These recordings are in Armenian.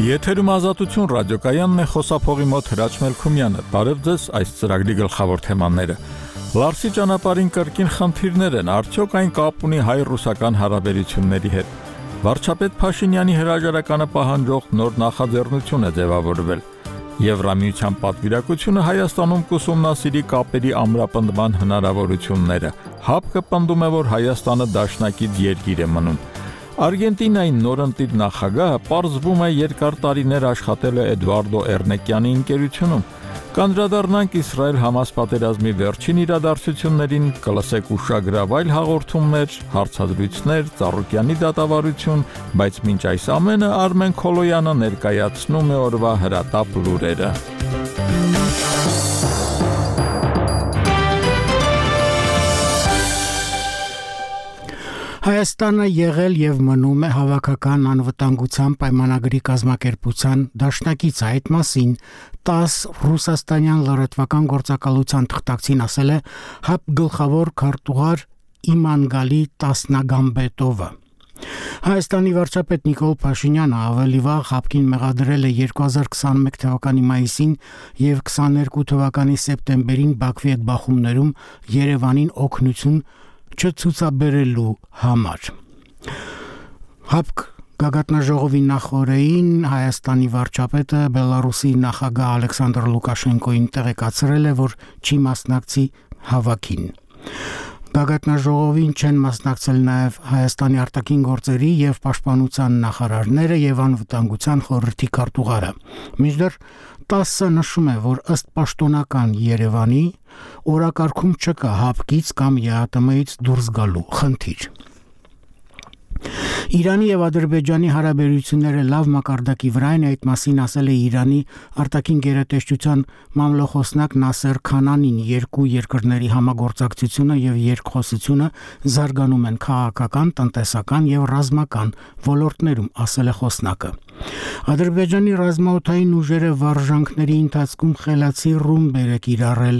Եթերում ազատություն ռադիոկայանն է, խոսափողի մոտ Հրաչ Մելքումյանը։ Բարև ձեզ, այս ծրագրի գլխավոր թեմաները։ Լարսի ճանապարհին կրկին խնդիրներ են, արդյոք այն կապ ունի հայ-ռուսական հարաբերությունների հետ։ Վարչապետ Փաշինյանի հրաժարականը պահանջող նոր նախաձեռնություն է ձևավորվել։ Եվրամիության պատվիրակությունը Հայաստանում կուսումնասիրի կապերի ամրապնդման հնարավորությունները։ ՀԱՊԿ-ը պնդում է, որ Հայաստանը դաշնակից երկիր է մնում։ Արգենտինայի նորընտիր նախագահը պարզվում է երկար տարիներ աշխատել է Էդվարդո Էրնեկյանի ընկերությունում։ Կանդրադառնանք Իսրայել-Համաս պատերազմի վերջին իրադարձություններին, կլսեք ուշագրավ այլ հաղորդումներ, հարցազրույցներ, Ծառուկյանի դատավարություն, բայց մինչ այս ամենը Արմեն Քոլոյանը ներկայացնում է օրվա հրատապ լուրերը։ Հայաստանը եղել եւ մնում է հավաքական անվտանգության պայմանագրի կազմակերպության դաշնակից, այդ մասին 10 ռուսաստանյան լրատվական գործակալության թղթակցին ասել է ՀԱՊ գլխավոր քարտուղար Իմանգալի Տասնագամբետովը։ Հայաստանի վարչապետ Նիկոլ Փաշինյանը ավելի վաղ ՀԱՊԿ-ին մեղադրել է 2021 թվականի մայիսին եւ 22 թվականի սեպտեմբերին Բաքվի հետ բախումներում Երևանին օգնություն չցուցաբերելու համար։ ՀԱՊԿ գագաթնաժողովի նախօրեին Հայաստանի վարչապետը Բելարուսի նախագահ Ալեքսանդր Լուկաշենկոին տեղեկացրել է, որ չի մասնակցի հավաքին։ Գագաթնաժողովին չեն մասնակցել նաև Հայաստանի արտաքին գործերի եւ պաշտպանության նախարարները եւ անվտանգության խորհրդի քարտուղարը։ Մինչդեռ 10-ը նշում է, որ ըստ պաշտոնական Երևանի օրակարգում չկա ՀԱՊԿ-ից կամ ԵԱՏՄ-ից դուրս գալու խնդիր։ Իրանի եւ Ադրբեջանի հարաբերությունները լավ մակարդակի վրա են, այդ մասին ասել է Իրանի արտաքին գերատեսչության մամլոխոսնակ Նասեր Քանանին։ Երկու երկրների համագործակցությունը եւ երկխոսությունը զարգանում են քաղաքական, տնտեսական եւ ռազմական ոլորտներում, ասել է խոսնակը։ Ադրբեջանի ռազմաօդային ուժերը վարժանքների ընթացքում խելացի ռումբեր է կիրառել։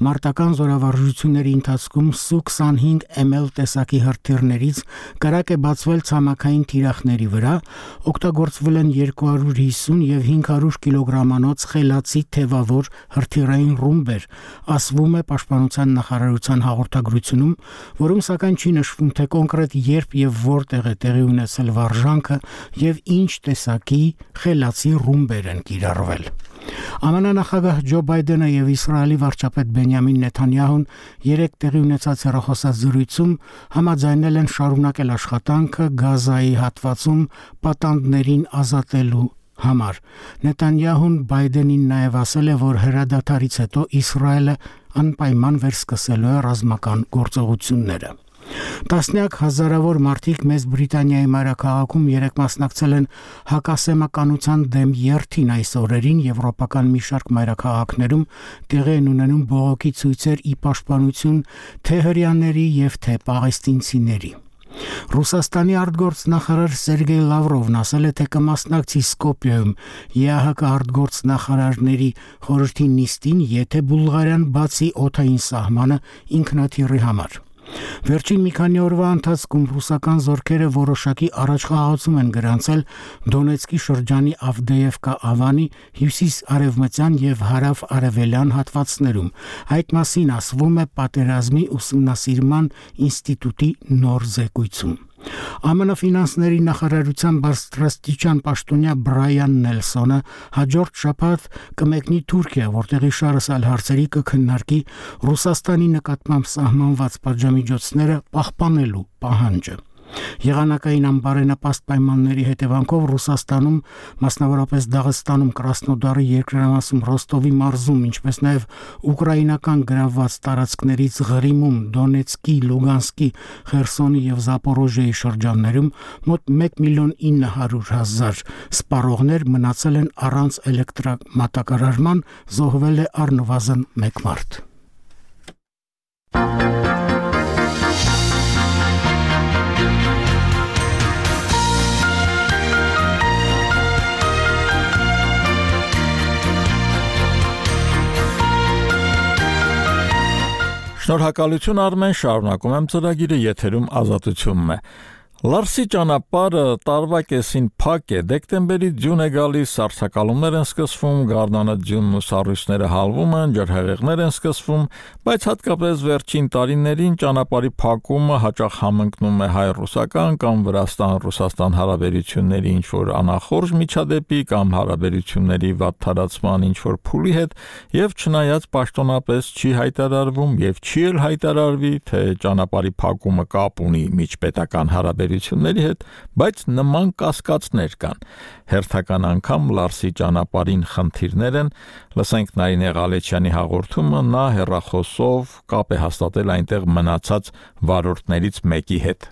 Մարտական զորավարժությունների ընթացքում Su-25 ML տեսակի հրթիռներից կրակ է բացվել ցամաքային թիրախների վրա, օգտագործվել են 250 եւ 500 կիլոգրամանոց խելացի թևավոր հրթիռային ռումբեր, ասվում է Պաշտպանության նախարարության հաղորդագրությունում, որում սակայն չի նշվում, թե կոնկրետ երբ եւ որտեղ է տեղի ունեցել վարժանքը եւ ինչ տեսակի խելացի ռումբեր են կիրառվել։ ԱՄՆ նախագահ Ջո Բայդենը եւ Իսրայելի վարչապետ Բենյամին Նեթանյահուն երեկ տեղի ունեցած հեռախոսազրույցում համաձայնել են շարունակել աշխատանքը Գազայի հատվածում պատանդներին ազատելու համար։ Նեթանյահուն Բայդենին նաեւ ասել է, որ հրադադարից հետո Իսրայելը անպայման վերսկսելու է ռազմական գործողությունները։ Տասնյակ հազարավոր մարդիկ Մեծ Բրիտանիայի մայրաքաղաքում երեկ մասնակցել են հակասեմականության դեմ երթին։ Այս օրերին եվրոպական մի շարք մայրաքաղաքներում տեղի են ունենում բողոքի ցույցեր ի պաշտպանություն թե հրեաների եւ թե պաղեստինցիների։ Ռուսաստանի արտգործնախարար Սերգեյ Լավրովն ասել է, թե կմասնակցի Սկոպիայում ԵԱՀԿ արտգործնախարարների խորհրդի նիստին, եթե Բուլղարիան բացի օդային սահմանը ինքնաթիռի համար։ Վերջին մի քանի օրվա ընթացքում ռուսական զորքերը որոշակի առաջխաղացում են գրանցել Դոնեցկի շրջանի Ավդեևկա ավանի հյուսիս-արևմտյան եւ հարավ-արևելյան հատվածներում։ Այդ մասին ասվում է Պատերազմի ուսումնասիրման ինստիտուտի նոր զեկույցում։ ԱՄՆ ֆինանսների նախարարության բարձրաստիճան պաշտոնյա Բրայան Նելսոնը հաջորդ շաբաթ կմեկնի Թուրքիա, որտեղ իշարս այլ հարցերի կքննարկի Ռուսաստանի նկատմամբ սահմանված պատժամիջոցները պահպանելու պահանջը։ Եղանակային անբարենպաստ պայմանների հետևանքով Ռուսաստանում, մասնավորապես Դաղստանում, Կրասնոդարի երկրամասում, Ռոստովի մարզում, ինչպես նաև ուկրաինական գրավված տարածքներից Ղրիմում, Դոնեցկի, Լուգանսկի, Խերսոնի եւ Զապորոժիայի շրջաններում մոտ 1.9 միլիոն սպառողներ մնացել են առանց էլեկտրամատակարարման, զոհվել է առնվազն 1 մարդ։ Շնորհակալություն Արմեն, շարունակում եմ ծրագիրը, եթերում ազատությունն է։ Լարսի ճանապարհը տարվա կեսին փակ է, դեկտեմբերի ձյուն է գալիս, սառցակալումներ են սկսվում, գարնանը ձյունն ու սառույցները հալվում են, ջրհեղեղներ են սկսվում, բայց հատկապես վերջին տարիներին ճանապարհի փակումը հաճախ համընկնում է հայ-ռուսական կամ Վրաստան-Ռուսաստան հարաբերությունների ինչ-որ անախորժ միջադեպի կամ հարաբերությունների վատթարացման ինչ-որ փուլի հետ, եւ չնայած պաշտոնապես չի հայտարարվում եւ չի էլ հայտարարվի, թե ճանապարհի փակումը կապ ունի միջպետական հարաբերությունների հետ, բայց նման կասկածներ կան։ Հերթական անգամ Լարսի ճանապարհին խնդիրներ են, լսենք Նարինե Ղալեչյանի հաղորդումը, նա հեռախոսով կապ է հաստատել այնտեղ մնացած վարորդներից մեկի հետ։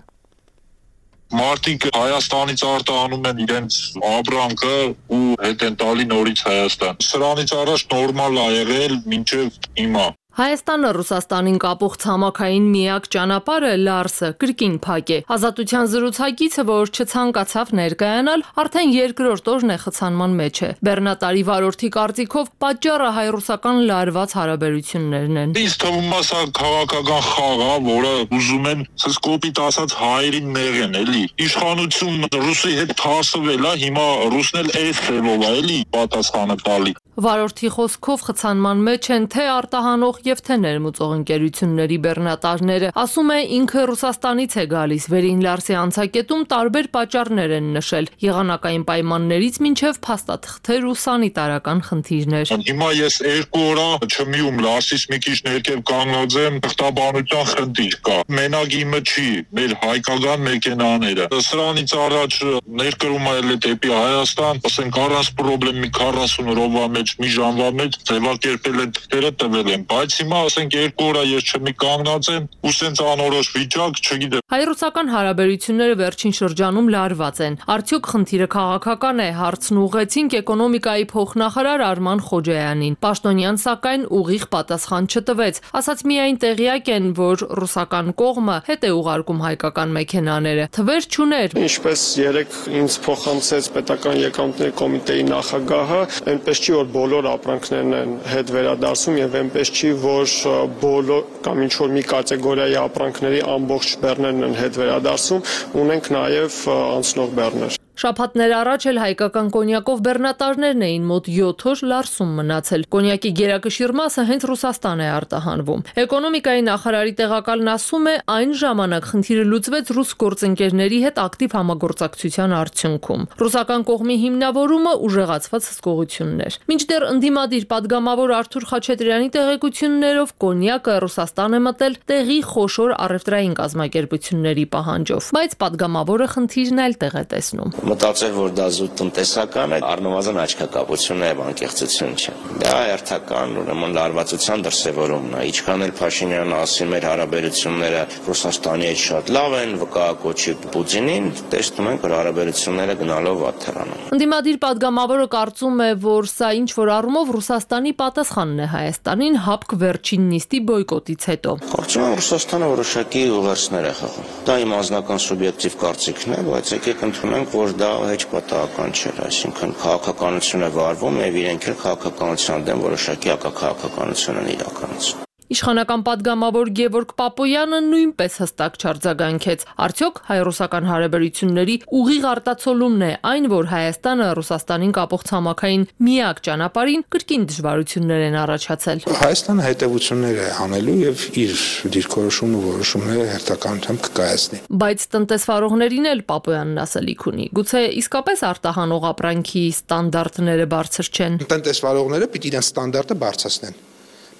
Մարդիկ Հայաստանից արտահանում են իրենց ապրանքը ու հետ են տալի նորից Հայաստան։ Սրանից առաջ նորմալ ա եղել մինչև հիմա։ Հայաստանը Ռուսաստանին կապող ցամաքային միակ ճանապարհը Լարսը կրկին փակ է։ Ազատության զրուցակիցը, որ չցանկացավ ներկայանալ, արդեն երկրորդ օրն է խցանման մեջ է։ Բեռնատարի վարորդի կարծիքով պատճառը հայ-ռուսական լարված հարաբերություններն են։ Ինձ թվում է սա քաղաքական խաղ է, որը ուզում են սկոպիտ ասած հայերին նեղեն, էլի։ Իշխանություն ռուսի հետ թարսվել է, հիմա ռուսն էլ էս ձևով է, էլի, պատասխանը տալի։ Վարորդի խոսքով խցանման մեջ են թե արտահանող եւ թե ներմուծող ընկերությունների բեռնատարները։ Ասում է ինքը Ռուսաստանից է գալիս, վերին Լարսի անցակետում տարբեր պատճառներ են նշել, եղանակային պայմաններից մինչև փաստաթղթեր ու սանիտարական խնդիրներ։ Հիմա ես 2 օր չմիում Լարսից մի քիչ ներքև կանգնած եմ, թղթաբանության խնդիր կա։ Մենակ իմը չի, մեր հայկական մեքենաները։ Սրանից առաջ ներկրում այլ է դեպի Հայաստան, ասենք առանց խնդրի մի 40 րոպե մեջ մի ժամվա մեջ ձևակերպել են թղթերը տվել են, բայց հիմա ասենք 2 օր ես չմի կանգնած եմ ու սենց անորոշ վիճակ, չգիտեմ։ Հայ-ռուսական հարաբերությունները վերջին շրջանում լարված են։ Արդյոք խնդիրը քաղաքական է, հարցն ուղղեցինք էկոնոմիկայի փոխնախարար Արման Խոջայանին։ Պաշտոնյան սակայն ուղիղ պատասխան չտվեց, ասաց միայն տեղյակ են, որ ռուսական կողմը հետ է ուղարկում հայկական մեքենաները։ Թվեր չուներ։ Ինչպես երեք ինձ փոխանցեց պետական եկամուտների կոմիտեի նախագահը, այնպես չի որ բոլոր ապրանքներն են հետ վերադարձում եւ այնպես չի որ բոլոր կամ ինչ որ մի կատեգորիայի ապրանքների ամբողջ բեռներն են հետ վերադարձում, ունենք նաեւ անցնող բեռներ։ Շաբաթներ առաջ էլ հայկական կոնյակով բեռնատարներն էին մոտ 7 օր Լարսում մնացել։ Կոնյակի գերակշիռ մասը հենց Ռուսաստան է արտահանվում։ Էկոնոմիկայի նախարարի տեղակալն ասում է, այն ժամանակ խնդիրը լուծվեց ռուս գործընկերների հետ ակտիվ համագործակցության արդյունքում։ Ռուսական կողմի հիմնավորումը ուժեղացված հսկողություններ։ Մինչդեռ ընդդիմադիր падգամավոր Արթուր Խաչատրյանի տեղեկություններով կոնյակը Ռուսաստան է մտել տեղի խոշոր առևտրային կազմակերպությունների պահանջով, բայց падգամավորը խնդիրն այլ տեղ է տեսնում։ Մտածել, որ դա զուտ տնտեսական է, առնվազն աչքակապություն է եւ անկեղծություն չէ։ Դա հերթական ուրեմն լարվածության դրսևորումն է։ Ինչքան էլ Փաշինյանը ասի մեր հարաբերությունները Ռուսաստանի հետ շատ լավ են, վկայակոչի Պուտինին, տեսնում ենք, որ հարաբերությունները գնալով վատթարանում։ Ընդդիմադիր падգամավորը կարծում է, որ սա ինչ որ առումով Ռուսաստանի պատասխանն է Հայաստանին հապկ վերջին նիստի բոյկոտից հետո։ Կարծում եմ Ռուսաստանը որոշակի ուղերձներ է խաղում։ Դա իմ անձնական սուբյեկտիվ կարծիքն է, բայց եկեք ընդունենք, որ դա հեչ պատահական չէ, այսինքն քաղաքականություն է վարվում եւ իրենք էլ քաղաքականության դեմ որոշակի հակաքաղաքականություն են իրականացնում։ Իշխանական падգամավոր Գևորգ Պապոյանը նույնպես հստակ չարձագանքեց։ Արդյոք հայ-ռուսական հարաբերությունների ուղիղ արտացոլումն է այն, որ Հայաստանը Ռուսաստանին կապող ցամաքային միակ ճանապարհին կրկին դժվարություններ են առաջացել։ Հայաստանը հետևություններ է անելու եւ իր դիրքորոշումն ու որոշումները հերթականությամբ կկայացնի։ Բայց տնտեսվարողներին էլ Պապոյանն ասելիք ունի։ Գուցե իսկապես արտահանող ապրանքի ստանդարտները բարձր չեն։ Տնտեսվարողները պիտի իրենց ստանդարտը բարձրացնեն։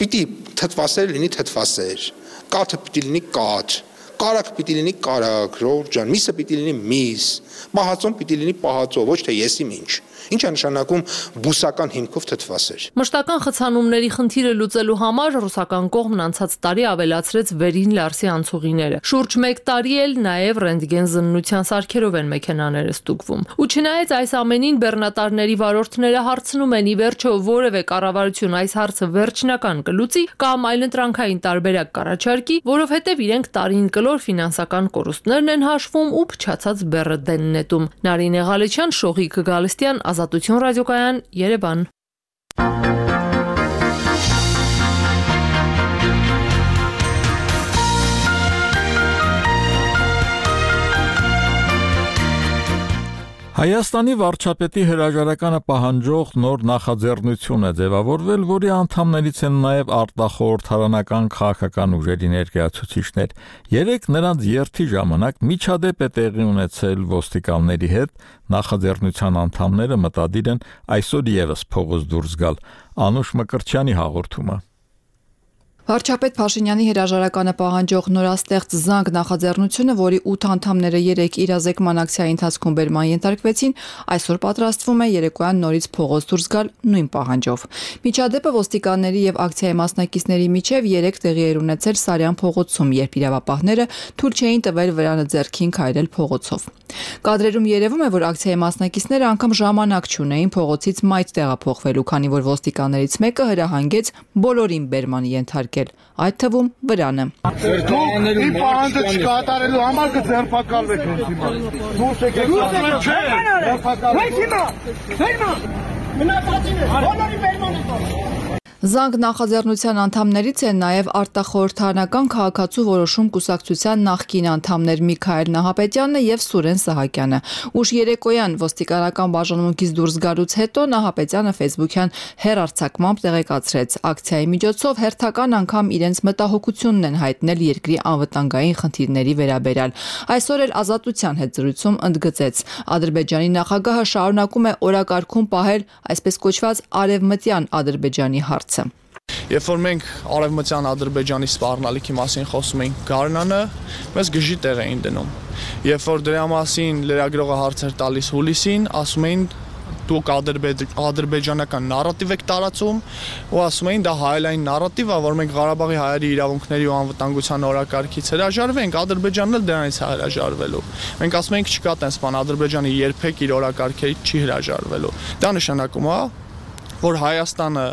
Պիտի թթվասեր լինի թթվասեր, կաթը պիտի լինի կաթ, կարագ պիտի լինի կարագ, Ռոուր ջան, միսը պիտի լինի միս, պահածոն պիտի լինի պահածո, ոչ թե եսիմ ինչ։ Ինչ է նշանակում բուսական հիմքով թթվասեր։ Մշտական խցանումների խնդիրը լուծելու համար ռուսական կողմն անցած տարի ավելացրեց վերին Լարսի անցուղիները։ Շուրջ 1 տարի էլ նաև ռենտգեն զննության սարքերով են մեքենաները ստուգվում։ Ու չնայած այս ամենին բեռնատարների վարորդները հարցնում են ի վերջո որևէ կառավարություն այս հարցը վերջնական կլուծի կամ այլընտրանքային տարբերակ կառաջարկի, որովհետև իրենք տարին կլոր ֆինանսական կորուստներն են հաշվում ու փչացած բեռը դեն նետում։ Նարինե Ղալեչյան, Շողիկ Գալստյան, Ազատություն ռադիոկայան, Երևան։ Հայաստանի վարչապետի հրաժարականը պահանջող նոր նախաձեռնություն է ձևավորվել, որի անդամներից են նաև արտախորհրդարանական քաղաքական ուժերի ներկայացուցիչներ։ Երեկ նրանց երթի ժամանակ միջադեպ է տեղի ունեցել ոստիկանների հետ, նախաձեռնության անդամները մտադիր են այսօր ևս փողոց դուրս գալ։ Անուշ Մկրտչյանի հաղորդումը։ Վարչապետ Փաշինյանի հրաժարականը պահանջող նորաստեղծ զանգ նախաձեռնությունը, որի 8 անդամները երեկ իրազեկման ակցիայի ընթացքում բերման ենթարկվեցին, այսօր պատրաստվում է երեկոյան նորից փողոց դուրս գալ նույն պահանջով։ Միջադեպը ոստիկանների եւ ակցիայի մասնակիցների միջև երեկ տեղի էր ունեցել Սարյան փողոցում, երբ իրավապահները թույլ չէին տվել վրանը ձեռքին քայլել փողոցով։ Կադրերում երևում է, որ ակցիայի մասնակիցները անգամ ժամանակ չունեին փողոցից մայթ տեղափոխվելու, քանի որ ոստիկաններից մեկը հրահանգեց բոլորին բերման ենթարկել, այդ թվում վրանը։ Իմ պահանջը չկատարելու համար կձերբակալվեք հիմա։ Դուրս եկեք։ Զանգ նախաձեռնության անդամներից են նաև արտախորհրդարանական քաղաքացու որոշում կուսակցության նախկին անդամներ Միքայել Նահապետյանն եւ Սուրեն Սահակյանը։ Ուշ երեկոյան ոստիկանական բաժանմունքից դուրս գալուց հետո Նահապետյանը Facebook-յան հեռարձակմամբ տեղեկացրեց. ակցիայի միջոցով հերթական անգամ իրենց մտահոգությունն են հայտնել երկրի անվտանգային խնդիրների վերաբերյալ։ Այսօր էլ Ազատության հետ զրույցում ընդգծեց. Ադրբեջանի նախագահը շարունակում է օրակարգում պահել այսպես կոչված արևմտյան Ադրբեջանի հարցը։ Երբ որ մենք արևմտյան Ադրբեջանի սպառնալիքի մասին խոսում էինք Գարնանը, մեզ գժի տեղ էին դնում։ Երբ որ դրա մասին լրագրողը հարցեր տալիս հուլիսին, ասում էին դուք ադրբեջանական նարատիվ եք տարածում ու ասում էին դա հայելային նարատիվ է, որ մենք Ղարաբաղի հայերի իրավունքների ու անվտանգության օրակարգից հրաժարվենք, Ադրբեջանն էլ դրանից է հրաժարվելու։ Մենք ասում ենք չկա տես բան, Ադրբեջանը երբեք իր օրակարգերից չի հրաժարվելու։ Դա նշանակում է, որ Հայաստանը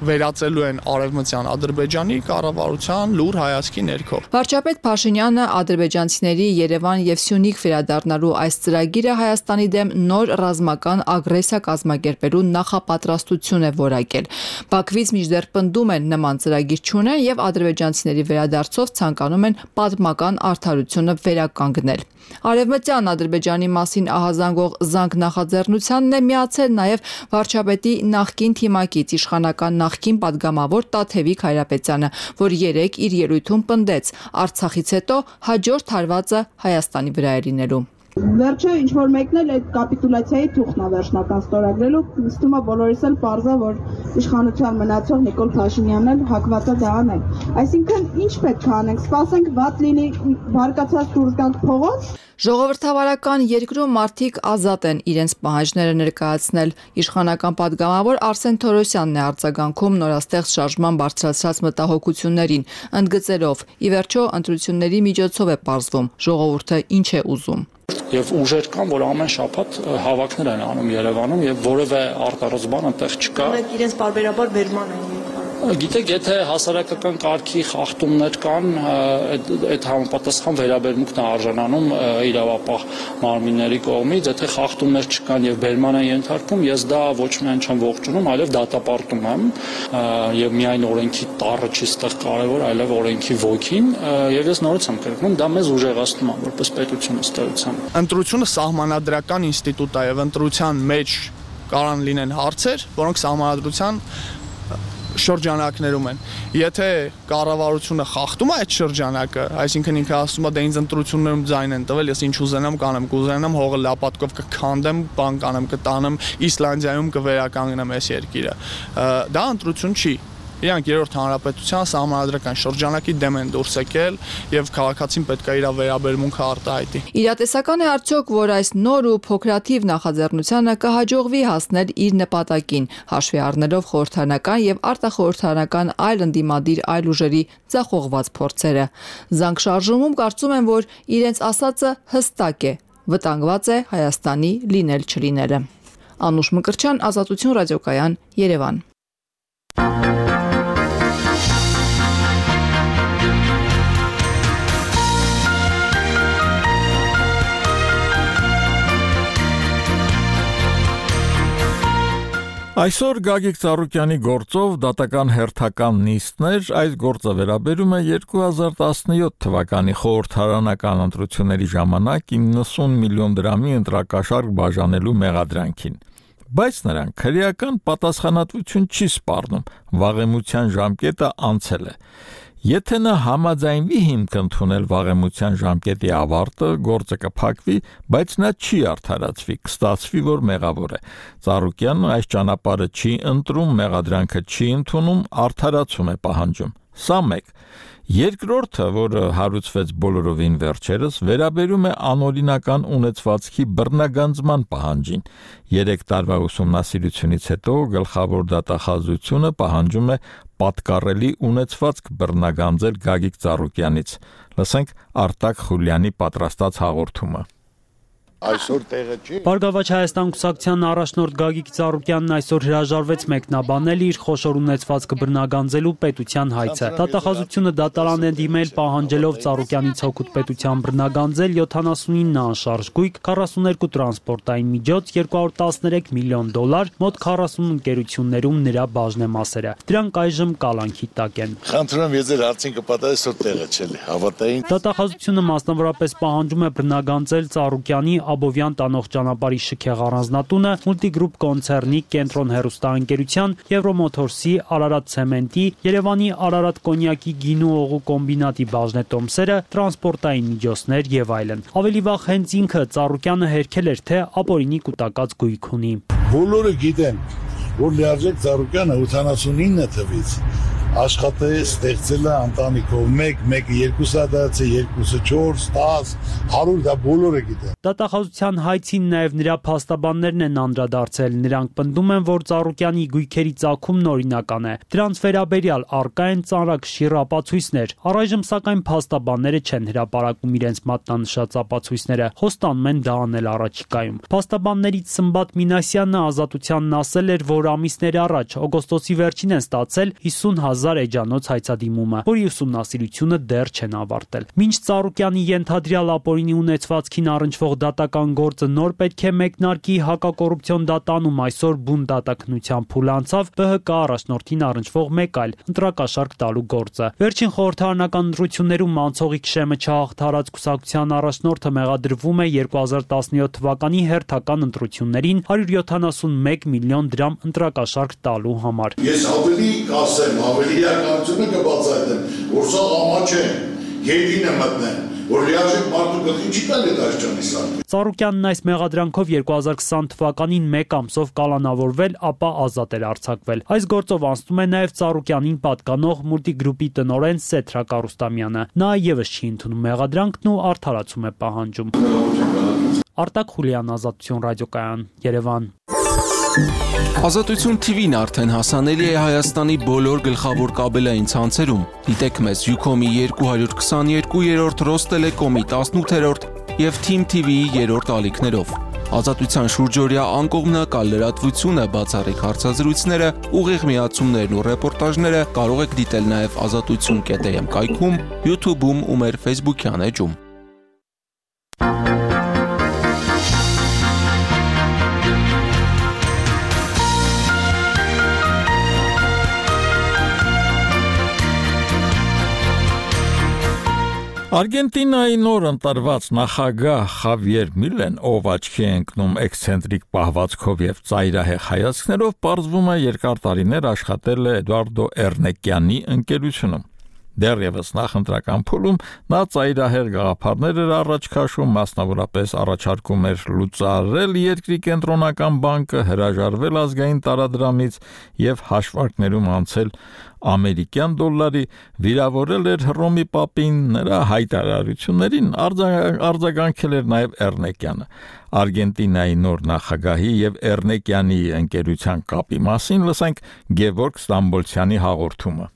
վերածելու են արևմտյան Ադրբեջանի կառավարության լուր հայացքի ներքո։ Վարչապետ Փաշինյանը ադրբեջանցիների Երևան եւ Սյունիք վերադառնալու այս ծրագիրը Հայաստանի դեմ նոր ռազմական ագրեսիա կազմակերպելու նախապատրաստություն է որակել։ Բաքվից մինչդեռ պնդում են նման ծրագիր չունեն եւ ադրբեջանցիների վերադարձով ցանկանում են պատմական արդարությունը վերականգնել։ Արևմտյան Ադրբեջանի մասին ահազանգող զանգ նախաձեռնությանն է միացել նաև վարչապետի նախկին թիմակից իշխանական նախկին падգամավոր Տաթևիկ Հայրապետյանը, որ երեկ իր ելույթում պնդեց Արցախից հետո հաջորդ հարվածը Հայաստանի վրա է լինելու։ Վերջը ինչ որ մեկն էլ այդ կապիտուլյացիայի թուղթն է վերջնական ստորագրելու, ստում է բոլորիս էլ պարզա, որ իշխանության մնացող Նիկոլ Փաշինյանն էլ հակված է դա անել։ Այսինքն ինչ պետք է անենք, սպասենք վատ լինի, բարկացած դուրս գանք փողոց։ Ժողովրդավարական երկրում մարդիկ ազատ են իրենց պահանջները ներկայացնել։ Իշխանական падգամավոր Արսեն Թորոսյանն է արձագանքում նորաստեղծ շարժման բարձրացած մտահոգություններին, ընդգծելով՝ ի վերջո ընտրությունների միջոցով է պարզվում ժողովուրդը ինչ է ուզում։ Եվ ուժեր կան, որ ամեն շաբաթ հավաքներ են անում Երևանում եւ որևէ արտարոց բան այնտեղ չկա։ Իրենց բարբերաբար բերման են։ Գիտեք, եթե հասարակական կարգի խախտումներ կան, այդ համապատասխան վերաբերմունքն է արժանանում իրավապահ մարմինների կողմից, եթե խախտումներ չկան եւ բերման են ենթարկվում, ես դա ոչ միայն չեմ ողջունում, այլև դատապարտում եմ եւ միայն օրենքի տառը չի ստեղ կարեւոր, այլև օրենքի ոգին եւ ես նորից եմ կրկնում, դա մեզ ուժեղացնում է որպես պետություն ըստ էության։ Ընտրությունը սահմանադրական ինստիտուտ է եւ ընտրության մեջ կարան լինեն հարցեր, որոնք սահմանադրության շրջանակներում են։ Եթե կառավարությունը խախտում է այդ շրջանակը, այսինքն ինքը ասում է դե ինձ ընտրություններում ձայն են տվել, ես ինչ ուզենամ կանեմ, կուզենամ հողը լապատկով կքանդեմ, բան կանեմ, կտանեմ, Իսլանդիայում կվերականգնեմ այս երկիրը։ Դա ընտրություն չի։ Իրանք երրորդ հանրապետության սահմանադրական շրջանակի դեմ են դուրս եկել եւ քաղաքացին պետք է իր վերաբերմունքը արտահայտի։ Իրատեսական է արդյոք, որ այս նոր ու փոքրաթիվ նախաձեռնությանը կհաջողվի հասնել իր նպատակին, հաշվի առնելով խորհրդարանական եւ արտախորհրդարանական այլ ընդդիմադիր այլ ուժերի ձախողված փորձերը։ Զանգ շարժումում կարծում են, որ իրենց ասածը հստակ է, վտանգված է Հայաստանի լինել-չլինելը։ Անուշ Մկրտչյան, Ազատություն ռադիոկայան, Երևան։ Այսօր Գագիկ Ծառուկյանի գործով դատական հերթական նիստներ, այս գործը վերաբերում է 2017 թվականի խորհրդարանական ընտրությունների ժամանակ 90 միլիոն դրամի ընտրակաշարք բաժանելու մեղադրանքին։ Բայց նրանք քրեական պատասխանատվություն չի սպառնում, վաղեմության ժամկետը անցել է։ Եթե նա համաձայնվի հիմք ընդունել վաղեմության ժամկետի ավարտը, գործը կփակվի, բայց նա չի արդարացվի, կստացվի, որ մեղավոր է։ Ծառուկյանը այս ճանապարհը չի ընտրում, մեղադրանքը չի ընդունում, արդարացում է պահանջում։ Սա մեկ։ Երկրորդը, որը հարուցվեց բոլորովին վերջերս, վերաբերում է անօրինական ունեցվածքի բռնագանձման պահանջին։ 3 տարվա ուսումնասիրությունից հետո գլխավոր դատախազությունը պահանջում է պատկառելի ունեցվածք բռնագանձել Գագիկ Ծառուկյանից։ Լսենք Արտակ Խուլյանի պատրաստած հաղորդումը։ Այսօր տեղը չի։ Բարգավաճ Հայաստան կուսակցության առաջնորդ Գագիկ Ծառուկյանն այսօր հրաժարվեց մեկնաբանել իր խոշոր ունեցվածքը բռնագանձելու պետության հայցը։ Դատախազությունը դատարան է դիմել պահանջելով Ծառուկյանից հօգուտ պետության բռնագանձել 79 անշարժ գույք, 42 տրանսպորտային միջոց, 213 միլիոն դոլար, մոտ 40 ընկերություններում նրա բաժնեմասերը։ Դրանք այժմ կալանքի տակ են։ Խնդրում եմ, ես հարցին կպատասխանեմ, այսօր տեղը չէ, հավատային։ Դատախազությունը մասնավորապես պահանջում է բռնագանձել Ծառուկյանի Աբովյան տանող ճանապարհի շքեղ առանձնատունը, Multigroup կոնցեռնի Կենտրոն հեռուստաընկերության, Եվրոմոթորսի, Արարատ ցեմենտի, Երևանի Արարատ կոնյակի գինու օղու կոմբինատի բաժնետոմսերը, տրանսպորտային միջոցներ եւ այլն։ Ավելի վաղ հենց ինքը Ծառուկյանը հերքել էր, թե ապօրինի կուտակած գույք ունի։ Բոլորը գիտեն, որ Լիարժեք Ծառուկյանը 89 թվից աշխատել ստեղծել է ընտանիքով 1, 2 հատացը, 2, 4, 10, 100 դա բոլորը գիտեն։ Դատախազության հայցին նաև նրա փաստաբաններն են անդրադարձել։ Նրանք պնդում են, որ Ծառուկյանի գույքերի ծագումն օրինական է։ Դրանց վերաբերյալ առկա են ծանրակշիռ ապացույցներ։ Առայժմ սակայն փաստաբանները չեն հրապարակում իրենց մատնանշած ապացույցները, խոստանում են դա անել առաջիկայում։ Փաստաբաններից Սմբատ Մինասյանը Ազատությանն ասել էր, որ ամիսներ առաջ օգոստոսի վերջին են ստացել 50,000 էջանոց հայցադիմումը, որի ուսումնասիրությունը դեռ չեն ավարտել։ Մինչ Ծառուկյանի ենթադրյալ ապօրինի ունեցվածքին առնչվող դատական գործը նոր պետք է մեկնարկի հակակոռուպցիոն դատանում, այսօր բուն դատաքննության փուլ անցավ ԲՀԿ առաջնորդին առնչվող մեկ այլ ընտրակաշարք տալու գործը։ Վերջին խորհրդարանական ընտրություններում մանցողիկ շեմը չհաղթարած կուսակցության առաջնորդը մեղադրվում է 2017 թվականի հերթական ընտրություններին 171 միլիոն դրամ ընտրակաշարք տալու համար։ Ես ավելի կասեմ, ավելի իրականությունը կբացատրեմ, որ սա ամաչ է, գետին է մտնեն, որ լիարժեք մարդու գլխին չի տալի դաշճանի սարքը։ Ծառուկյանն այս մեղադրանքով 2020 թվականին 1 ամսով կալանավորվել, ապա ազատ էր արձակվել։ Այս գործով անցնում է նաև Ծառուկյանին պատկանող Multigroup-ի տնօրեն Սեթրակ Արուստամյանը։ Նա եւս չի ընդունում մեղադրանքն ու արդարացում է պահանջում։ Արտակ Խուլյան, Ազատություն ռադիոկայան, Երևան։ Ազատություն TV-ն արդեն հասանելի է Հայաստանի բոլոր գլխավոր կաբելային ցանցերում։ Դիտեք մեզ Ucom-ի 222-րդ, Ռոստելեկոմի 18-րդ եւ Team TV-ի 3-րդ ալիքներով։ Ազատության շուրջօրյա անկողմնակալ լրատվությունը, բացառիկ հարցազրույցները, ուղիղ միացումներն ու ռեպորտաժները կարող եք դիտել նաեւ azatutsun.am կայքում, YouTube-ում ու մեր Facebook-յան էջում։ Արգենտինայի նոր ընտրված նախագահ Խավիեր Միլեն, ով աչքի է ընկնում էքսցենտրիկ պահվածքով եւ ծայրահեղ հայացքներով, պարզվում է երկար տարիներ աշխատել է Էդուարդո Էրնեկյանի ընկերությունում։ Դեռևս նախընտրական փուլում նա ծայրահեղ գաղափարներ էր առաջ քաշում, մասնավորապես առաջարկում էր լուծարել երկրի կենտրոնական բանկը, հրաժարվել ազգային տարադրամից եւ հաշվարկներում անցել ամերիկյան դոլարի, վիրավորել էր Հռոմի պապին, նրա հայտարարություններին արձագանքել էր նաեւ Էրնեկյանը։ Արգենտինայի նոր նախագահի եւ Էրնեկյանի ընկերության կապի մասին լսենք Գևորգ Ստամբոլցյանի հաղորդումը։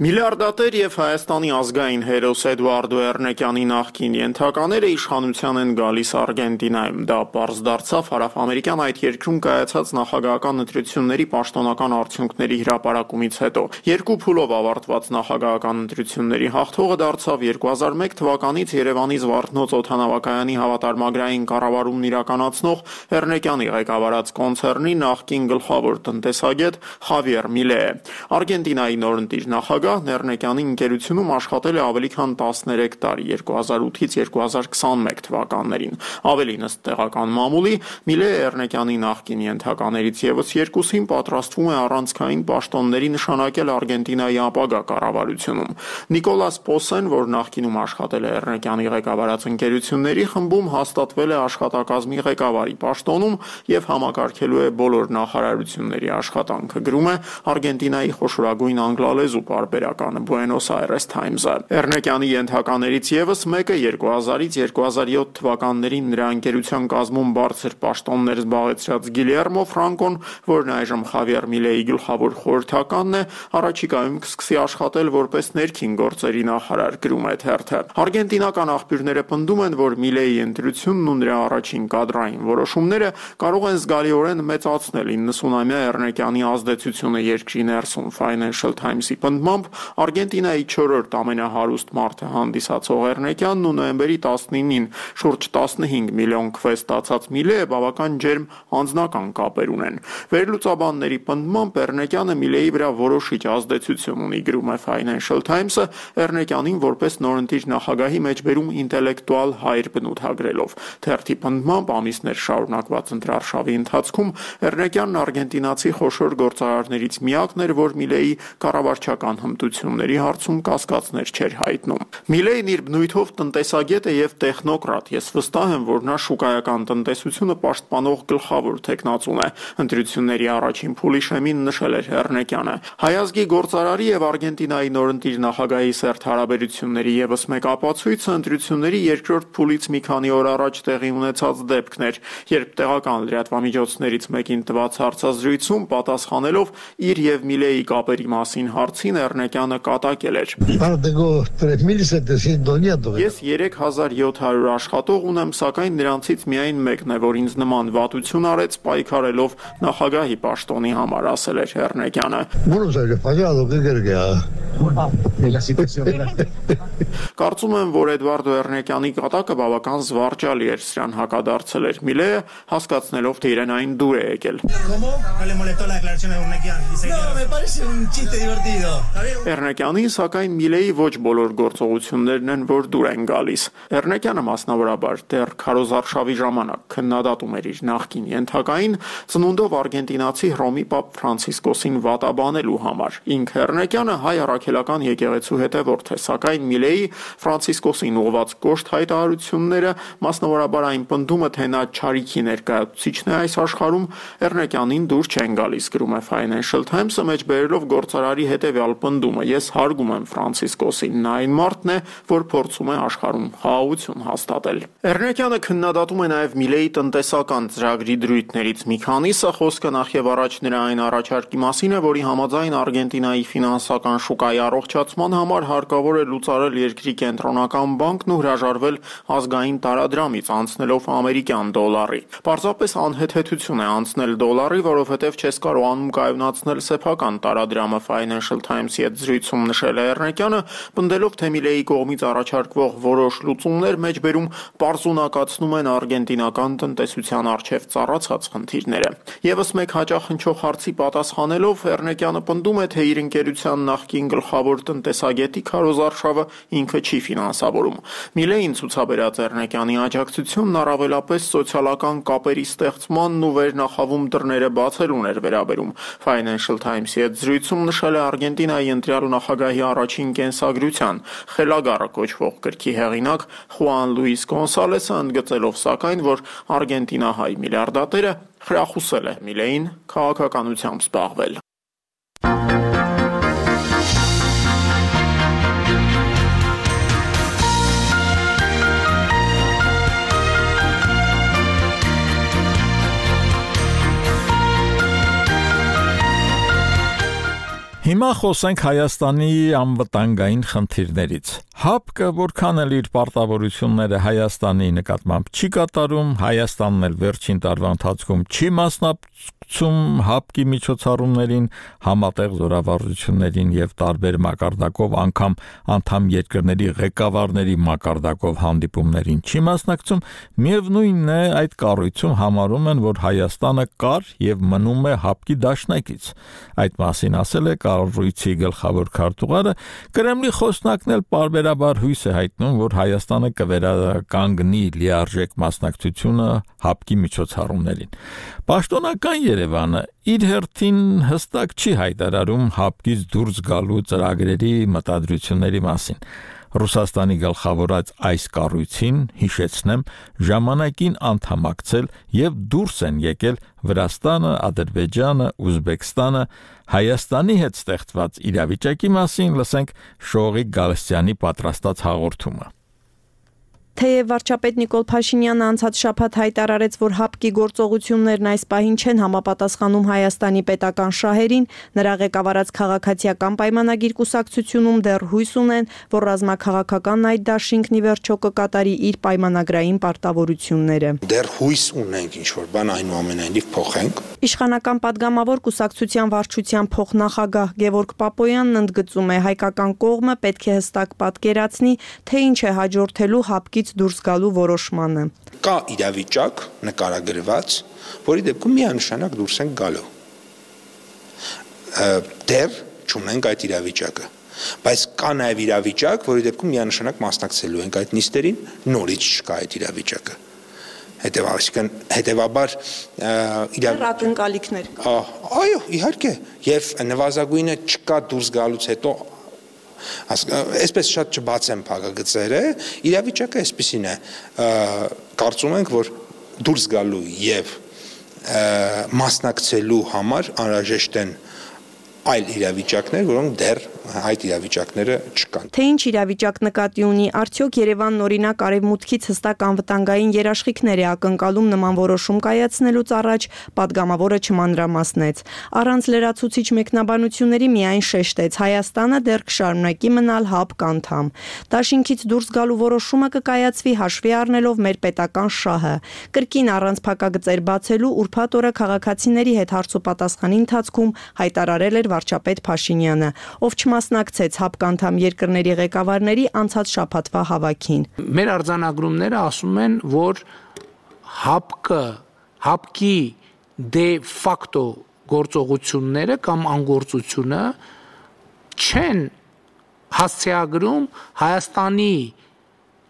Միլիարդատեր եւ Հայաստանի ազգային հերոս Էդուարդո Էռնեկյանի նախկին ենթակաները իշխանության են գալիս Արգենտինայում։ Դա պարզ դարձավ հարավամերիկյան այդ երկրում կայացած նախագահական ընտրությունների պաշտոնական արդյունքների հրապարակումից հետո։ Երկու փուլով ավարտված նախագահական ընտրությունների հաղթողը դարձավ 2001 թվականից Երևանի Զվարթնոց օդանավակայանի հավատարմագրային կառավարումն իրականացնող Էռնեկյանի ղեկավարած կոնցեռնի նախկին գլխավոր տնտեսագետ Խավիեր Միլեը։ Արգենտինայի նորընտիր նախագահ Էռնեկյանի ընկերությունում աշխատել է ավելի քան 13 տարի 2008-ից 2021 թվականներին։ Ավելին ըստ տեղական մամուլի Միլեը Էռնեկյանի նախկին ենթականերից եւս երկուսին պատրաստվում է առանցքային պաշտոնների նշանակել Արգենտինայի ապագա կառավարությունում։ Նիկոլաս Պոսեն, որ նախկինում աշխատել է Էռնեկյանի ղեկավարած ընկերությունների խմբում, հաստատվել է աշխատակազմի ղեկավարի պաշտոնում եւ համակարգելու է բոլոր նախարարությունների աշխատանքը, գրում է Արգենտինայի խոշորագույն անգլալեզու պարբերականը Buenos Aires Times-ը։ Էռնեկյանի ենթականերից եւս մեկը 2000-ից 2007 թվականներին նրա ընկերության կազմում բարձր պաշտոններ զբաղեցրած Գիլերմո Ֆրանկոն, որն այժմ Խավիեր Միլեի գլխավոր խորհրդականն է, առաջիկայում կսկսի աշխատել որպես ներքին գործերի նախարար, գրում է թերթը։ Արգենտինական աղբյուրները պնդում են, որ Միլեի ընտրությունն ու նրա առաջին կադրային որոշումները կարող են զգալիորեն մեծացնել 90-ամյա Էռնեկյանի ազդեցությունը երկրի ներսում։ Financial Times-ի պնդմամբ Արգենտինայի 4-րդ ամենահարուստ մարդը հանդիսացող Էռնեկյանն ու նոյեմբերի 19-ին շուրջ 15 միլիոն քվե ստացած Միլեը բավական ջերմ անձնական կապեր ունեն։ Վերլուծաբանների պնդմամբ Էռնեկյանը Միլեի վրա որոշիչ ազդեցություն ունի, գրում է Financial Times-ը, Էռնեկյանին որպես նորընտիր նախագահի մեջբերում ինտելեկտուալ հայր բնութագրելով։ Թերթի պնդմամբ ամիսներ շարունակված ընտրարշավի ընթացքում Էռնեկյանն արգենտինացի խոշոր գործարարներից միակն էր, որ Միլեի կառավարչական հմտությունների հարցում կասկածներ չէր հայտնում։ Միլեին իր բնույթով տնտեսագետ է եւ տեխնոկրատ։ Ես վստահ եմ, որ նա շուկայական տնտեսությունը պաշտպանող գլխավոր թեկնածուն է, ընտրությունների առաջին փուլի շեմին նշել էր Էռնեկյանը։ Հայազգի գործարարի եւ Արգենտինայի նորընտիր նախագահի սերտ հարաբերությունների եւս մեկ ապացույցը ընտրությունների երկրորդ փուլից մի քանի օր առաջ տեղի ունեցած դեպքն էր, երբ տեղական լրատվամիջոցներից մեկին տված հարցազրույցում պատասխանելով իր եւ Միլեի կապերի մասին հարցին Էռնեկյանը կատակել էր. Ես 3700 աշխատող ունեմ, սակայն նրանցից միայն մեկն է, որ ինձ նման վատություն արեց պայքարելով նախագահի պաշտոնի համար, ասել էր Էռնեկյանը։ Կարծում եմ, որ Էդվարդո Էռնեկյանի կատակը բավական զվարճալի էր, սրան հակադարձել էր Միլեը, հասկացնելով, թե իրեն այն դուր է եկել։ Էռնեկյանին, սակայն Միլեի ոչ բոլոր գործողություններն են, որ դուր են գալիս։ Էռնեկյանը մասնավորաբար դեռ քարոզարշավի ժամանակ քննադատում էր իր նախկին ենթակային ծնունդով արգենտինացի Հռոմի պապ Ֆրանցիսկոսին վատաբանելու համար։ Ինքը Էռնեկյանը հայ առաքելական եկեղեցու հետևորդ է, սակայն Միլեի Ֆրանցիսկոսին ուղղված կոշտ հայտարարությունները, մասնավորաբար այն պնդումը, թե նա չարիքի ներկայացուցիչն է այս աշխարհում, Էռնեկյանին դուր չեն գալիս, գրում է Financial Times-ը մեջբերելով գործարարի հետևյալ պնդումը. Ես հարգում եմ Ֆրանցիսկոսին, նա այն մարդն է, որ փորձում է աշխարհում խաղաղություն հաստատել։ Էռնեկյանը քննադատում է նաև Միլեի տնտեսական ծրագրի դրույթներից մի քանիսը, խոսքը նախ եւ առաջ նրա այն առաջարկի մասին է, որի համաձայն Արգենտինայի ֆինանսական շուկայի առողջացման համար հարկավոր է լուծարել երկրի կենտրոնական բանկն ու հրաժարվել ազգային տարադրամից, անցնելով ամերիկյան դոլարի։ Պարզապես անհեթեթություն է անցնել դոլարի, որովհետև չես կարողանում կայունացնել սեփական տարադրամը, Financial Times-ի հետ զրույցում նշել է Էռնեկյանը, պնդելով, թե Միլեի կողմից առաջարկվող որոշ լուծումներ մեջբերում պարզունակացնում են արգենտինական տնտեսության առջև ծառացած խնդիրները։ Եվս մեկ հաճախ հնչող հարցի պատասխանելով Էռնեկյանը պնդում է, թե իր ընկերության նախկին գլխավոր տնտեսագետի քարոզարշավը ինքը չի ֆինանսավորում։ Միլեին ցուցաբերած Էռնեկյանի աջակցությունն առավելապես սոցիալական կապերի ստեղծմանն ու վերնախավում դռները բացելուն էր վերաբերում։ Financial Times-ի հետ զրույցում նշել է Արգենտինայի ընտրյալ նախագահի առաջին կենսագրության խելագարը կոչվող գրքի հեղինակ Խուան Լուիս Գոնսալեսը, ընդգծելով սակայն, որ արգենտինահայ միլիարդատերը խրախուսել է Միլեին քաղաքականությամբ զբաղվել։ Հիմա խոսենք Հայաստանի անվտանգային խնդիրներից։ ՀԱՊԿ-ը որքան էլ իր պարտավորությունները Հայաստանի նկատմամբ չի կատարում, Հայաստանն էլ վերջին տարվա ընթացքում չի մասնակցում ՀԱՊԿ-ի միջոցառումներին, համատեղ զորավարժություններին եւ տարբեր մակարդակով անգամ անդամ երկրների ղեկավարների մակարդակով հանդիպումներին չի մասնակցում, միևնույնն է այդ կառույցում համարում են, որ Հայաստանը կար եւ մնում է ՀԱՊԿ-ի դաշնակից։ Այդ մասին ասել է կառույցի գլխավոր քարտուղարը, Կրեմլի խոսնակն էլ պարբերաբար հույս է հայտնում, որ Հայաստանը կվերականգնի լիարժեք մասնակցությունը ՀԱՊԿ-ի միջոցառումներին։ Պաշտոնական Երևանը իր հերթին հստակ չի հայտարարում ՀԱՊԿ-ից դուրս գալու ծրագրերի մտադրությունների մասին։ Ռուսաստանի գլխավորած այս կառույցին, հիշեցնեմ, ժամանակին անդամակցել եւ դուրս են եկել Վրաստանը, Ադրբեջանը, Ուզբեկստանը, Հայաստանի հետ ստեղծված իրավիճակի մասին լսենք Շողիկ Գալստյանի պատրաստած հաղորդումը։ Թեև վարչապետ Նիկոլ Փաշինյանը անցած շաբաթ հայտարարեց, որ ՀԱՊԿ-ի գործողություններն այս պահին չեն համապատասխանում Հայաստանի պետական շահերին, նրա ղեկավարած քաղաքացիական պայմանագիր կուսակցությունում դեռ հույս ունեն, որ ռազմաքաղաքական այդ դաշինքն ի վերջո կկատարի իր պայմանագրային պարտավորությունները։ Դեռ հույս ունենք ինչ-որ բան այնուամենայնիվ փոխենք։ Իշխանական падգամավոր կուսակցության վարչության փոխնախագահ Գևորգ Պապոյանն ընդգծում է, հայկական կողմը պետք է հստակ պատկերացնի, թե ինչ է հաջորդելու ՀԱՊԿ-ից դուրս գալու որոշմանը։ Կա իրավիճակ նկարագրված, որի դեպքում միանշանակ դուրս են գալու։ Դեռ չունենք այդ իրավիճակը, բայց կա նաև իրավիճակ, որի դեպքում միանշանակ մասնակցելու ենք այդ նիստերին, նորից չկա այդ իրավիճակը։ Հետևաբար ակնկալիքներ։ Այո, իհարկե, եւ նվազագույնը չկա դուրս գալուց հետո այսպես շատ չբացեմ փակագծերը, իրավիճակը այսպեսին է, կարծում ենք, որ դուրս գալու եւ մասնակցելու համար անհրաժեշտ են այլ իրավիճակներ, որոնք դեռ այդ իրավիճակները չկան։ Թե ինչ իրավիճակ նկատի ունի, արդյոք Երևանն օրինակ արևմուտքից հստակ անվտանգային երաշխիքներ է ակնկալում նման որոշում կայացնելուց առաջ, падգամավորը չմանրամասնեց։ Առանց լրացուցիչ մեկնաբանությունների միայն շեշտեց, Հայաստանը դեռ կշարունակի մնալ ՀԱՊԿ անդամ։ Դաշինքից դուրս գալու որոշումը կկայացվի հաշվի առնելով մեր պետական շահը։ Կրկին առանց փակագծեր բացելու ուրբաթ օրը քաղաքացիների հետ հարցոպատասխանի ընթացքում հայտարարել էր վարչապետ Փաշինյանը, ով չմասնակցեց ՀԱՊԿ անդամ երկրների ղեկավարների անցած շաբաթվա հավաքին։ Մեր արձանագրումները ասում են, որ ՀԱՊԿ-ի դե ֆակտո գործողությունները կամ անգործությունը չեն հասցեագրում Հայաստանի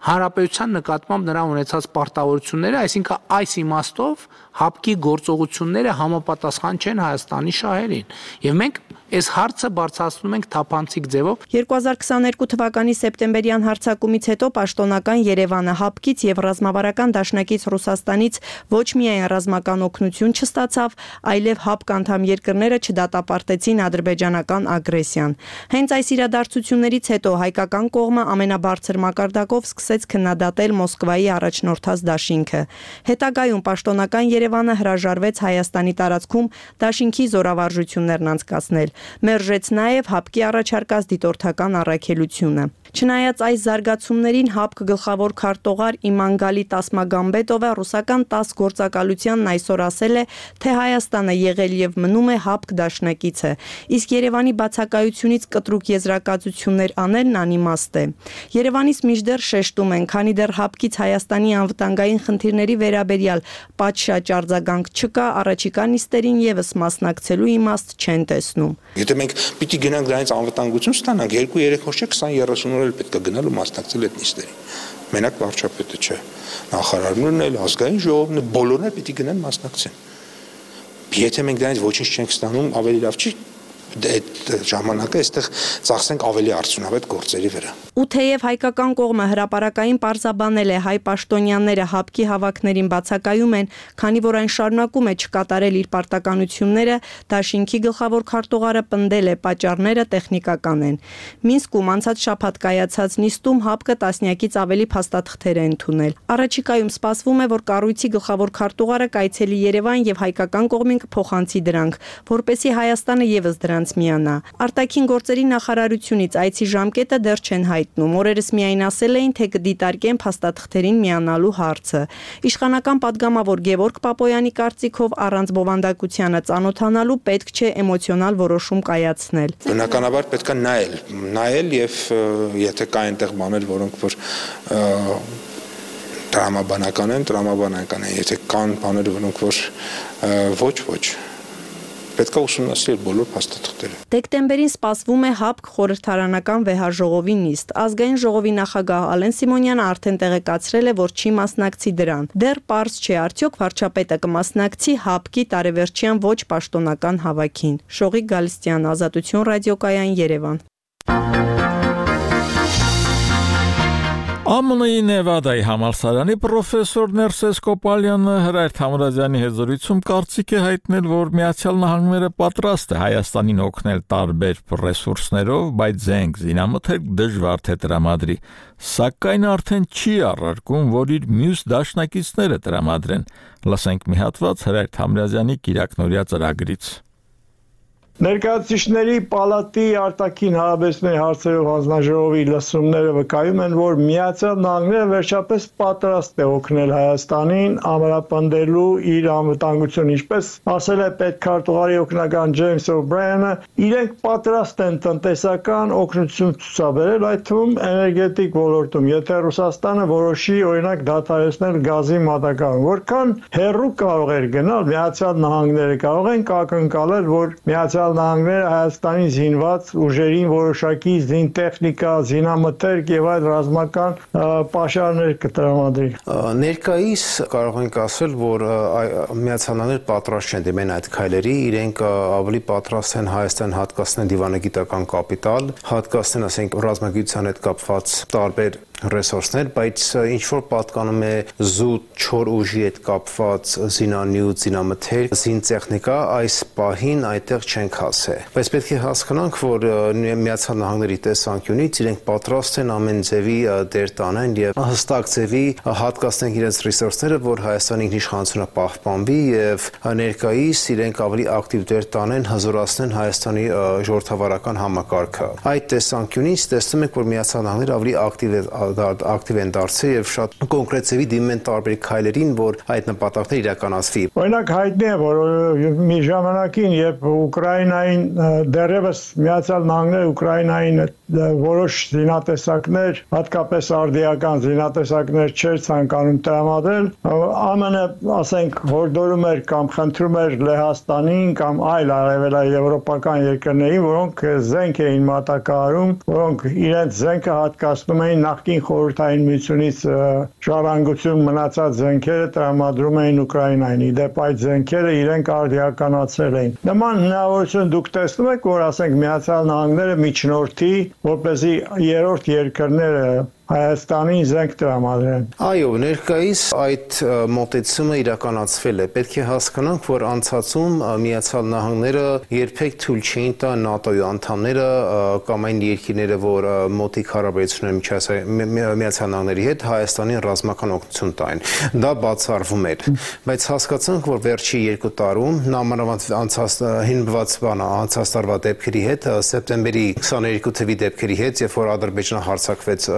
Հանրապետության նկատմամբ նրա ունեցած պարտավորությունները, այսինքն այս իմաստով ՀԱՊԿ-ի գործողությունները համապատասխան չեն Հայաստանի շահերին։ Եվ մենք այս հարցը բարձրացնում ենք թափանցիկ ձևով։ 2022 թվականի սեպտեմբերյան հարձակումից հետո պաշտոնական Երևանը ՀԱՊԿ-ից եւ ռազմավարական դաշնակից Ռուսաստանից ոչ միայն ռազմական օգնություն չստացավ, այլև ՀԱՊԿ անդամ երկրները չդատապարտեցին ադրբեջանական ագրեսիան։ Հենց այս իրադարձություններից հետո հայկական կողմը ամենաբարձր մակարդակով սկսեց քննադատել Մոսկվայի առաջնորդած դաշինքը։ Հետագայում պաշտոնական Երևանը հրաժարվեց Հայաստանի տարածքում դաշինքի զորավարժություններն անցկացնել։ Մերժեց նաև ՀԱՊԿ-ի առաջարկած դիտորդական առաքելությունը։ Չնայած այս զարգացումներին ՀԱՊԿ գլխավոր քարտուղար Իմանգալի Տասմագամբետովը ռուսական ՏԱՍՍ գործակալությանն այսօր ասել է, թե Հայաստանը եղել եւ մնում է ՀԱՊԿ դաշնակիցը, իսկ Երևանի բացակայությունից կտրուկ եզրակացություններ անելն անիմաստ է։ Երևանից մինչդեռ շեշտում են, քանի դեռ ՀԱՊԿ-ից Հայաստանի անվտանգային խնդիրների վերաբերյալ պատշաճ արձագանք չկա, առաջիկա նիստերին եւս մասնակցելու իմաստ չեն տեսնում։ Եթե մենք պիտի գնանք դրանից անվտանգություն ստանանք, 2-3 օր չէ, 20-30 օր էլ պետք է գնալ ու մասնակցել այդ նիստերին։ Մենակ վարչապետը չէ, նախարարներն էլ, ազգային ժողովն էլ, բոլորն էլ պիտի գնան մասնակցեն։ Եթե մենք դրանից ոչինչ չենք ստանում, ավելի լավ չի այդ ժամանակը այստեղ ծախսենք ավելի արդյունավետ գործերի վրա։ Ու թեև հայկական կողմը հրապարակային պարզաբանել է հայ պաշտոնյաները հապկի հավաքներին բացակայում են, քանի որ այն շարունակում է չկատարել իր պարտականությունները, դաշինքի գլխավոր քարտուղարը պնդել է պատճառները տեխնիկական են։ Մինսկում անցած շաբաթ կայացած նիստում հապկը տասնյակից ավելի փաստաթղթեր է ընդունել։ Առաջիկայում սպասվում է, որ կառույցի գլխավոր քարտուղարը կայցելի Երևան եւ հայկական կողմին կփոխանցի դրանք, որպեսզի Հայաստանը եւս դրանց միանա։ Արտաքին գործերի նախարարությունից այցի ժամկետը դեռ չեն հայտնում։ Օրերս միայն ասել էին, թե կդիտարկեն փաստաթղթերին միանալու հարցը։ Իշխանական падգամավոր Գևորգ Պապոյանի կարծիքով առանց բովանդակությանը ծանոթանալու պետք չէ էմոցիոնալ որոշում կայացնել։ Բնականաբար պետք է նայել եւ եթե կա այնտեղ բաներ, որոնք որ տրամաբանական են, եթե կան բաներ, որոնք որ ոչ պետք է ուսումնասիրել բոլոր փաստաթղթերը։ Դեկտեմբերին սպասվում է ՀԱՊԿ խորհրդարանական վեհաժողովի նիստ։ Ազգային ժողովի նախագահ Ալեն Սիմոնյանը արդեն տեղեկացրել է, որ չի մասնակցի դրան։ Դեռ պարզ չէ, արդյոք վարչապետը կմասնակցի ՀԱՊԿ-ի տարեվերջյան ոչ պաշտոնական հավաքին։ Շողիկ Գալստյան, Ազատություն ռադիոկայան, Երևան։ ԱՄՆ-ի Նևադայի համալսարանի պրոֆեսոր Ներսես Կոպալյանը Հրայր Թամրազյանի հետ զրույցում կարծիք է հայտնել, որ Միացյալ Նահանգները պատրաստ է Հայաստանին օգնել տարբեր ռեսուրսներով, բայց զենք զինամթերք դժվար թե տրամադրի, սակայն արդեն չի առարկում, որ իր մյուս դաշնակիցները տրամադրեն։ Լսենք մի հատված Հրայր Թամրազյանի կիրակնօրյա ծրագրից։ Ներկայացուցիչների պալատի արտաքին հարաբերությունների հարցերով հանձնաժողովի լսումները վկայում են, որ Միացյալ Նահանգները վերջապես պատրաստ է օգնել Հայաստանին ամրապնդելու իր անվտանգությունը, ինչպես ասել է պետքարտուղարի օգնական Ջեյմս Օ'Բրայանը, իրենք պատրաստ են տնտեսական օգնություն ցուցաբերել, այդ թվում էներգետիկ ոլորտում, եթե Ռուսաստանը որոշի օրինակ դադարեցնել գազի մատակարարումը, որքան հեռու կարող էր գնալ Միացյալ Նահանգները, կարող են ակնկալել, որ Միացյալ Նահանգները Հայաստանի զինված ուժերին որոշակի զինտեխնիկա, զինամթերք եւ այլ ռազմական պաշարներ կտրամադրի։ Ներկայիս կարող ենք ասել, որ Միացյալ Նահանգները պատրաստ չեն դիմեն այդ քայլերի, իրենք ավելի պատրաստ են Հայաստան հատկացնել դիվանագիտական կապիտալ, հատկացնել, ասենք, ռազմագիտության հետ կապված տարբեր ռեսուրսներ, բայց ինչ որ պատկանում է զուտ չոր ուժի հետ կապված զինանյութ, զինամթերք, զինտեխնիկա, այս պահին այդտեղ չենք հասել։ Բայց պետք է հասկանանք, որ Միացյալ Նահանգների տեսանկյունից իրենք պատրաստ են ամեն ձևի դեր տանեն եւ հստակ ձևի հատկացնեն իրենց ռեսուրսները, որ Հայաստանի ինքնիշխանությունը պահպանվի եւ ներկայիս իրենք ավելի ակտիվ դեր տանեն, հզորացնեն Հայաստանի ժողովրդավարական համակարգը։ Այդ տեսանկյունից տեսնում ենք, որ Միացյալ Նահանգները ավելի ակտիվ են դարձել եւ շատ կոնկրետ ձևի դիմեն տարբեր քայլերին, որ այդ նպատակները իրականացվի։ Օրինակ հայտնի է, որ մի ժամանակին, երբ Ուկրաինային դեռևս Միացյալ Նահանգները Ուկրաինային որոշ զինատեսակներ, հատկապես արդիական զինատեսակներ չէր ցանկանում տրամադրել, ԱՄՆ-ը, ասենք, հորդորում էր կամ խնդրում էր Լեհաստանին կամ այլ արևելաեվրոպական երկրներին, որոնք զենք էին մատակարարում, որոնք իրենց զենքը հատկացնում էին նախկին խորհրդային միությունից ժառանգություն մնացած զենքերը տրամադրում էին Ուկրաինային։ Իդեպ այդ զենքերը իրենք արդիականացրել էին։ Նման հնարավորություն դուք տեսնում եք, որ ասենք Միացյալ Նահանգները միջնորդի, որպեսզի երրորդ երկրները Հայաստանի զենք տրամադրեն։ Այո, ներկայիս այդ մոտեցումը իրականացվել է։ Պետք է հասկանանք, որ անցածում Միացյալ Նահանգները երբեք թույլ չէին տա ՆԱՏՕ-ի անդամները կամ այն երկիրները, որ մոտիկ հարաբերություն ունեն Միացյալ Նահանգների հետ, Հայաստանին ռազմական օգնություն տային։ Դա բացառվում էր։ Բայց հասկացանք, որ վերջի 2 տարում նամանավանդ անցած տարվա դեպքերի հետ, սեպտեմբերի 22 թվականի դեպքերի հետ, երբ որ Ադրբեջանը հարձակվեց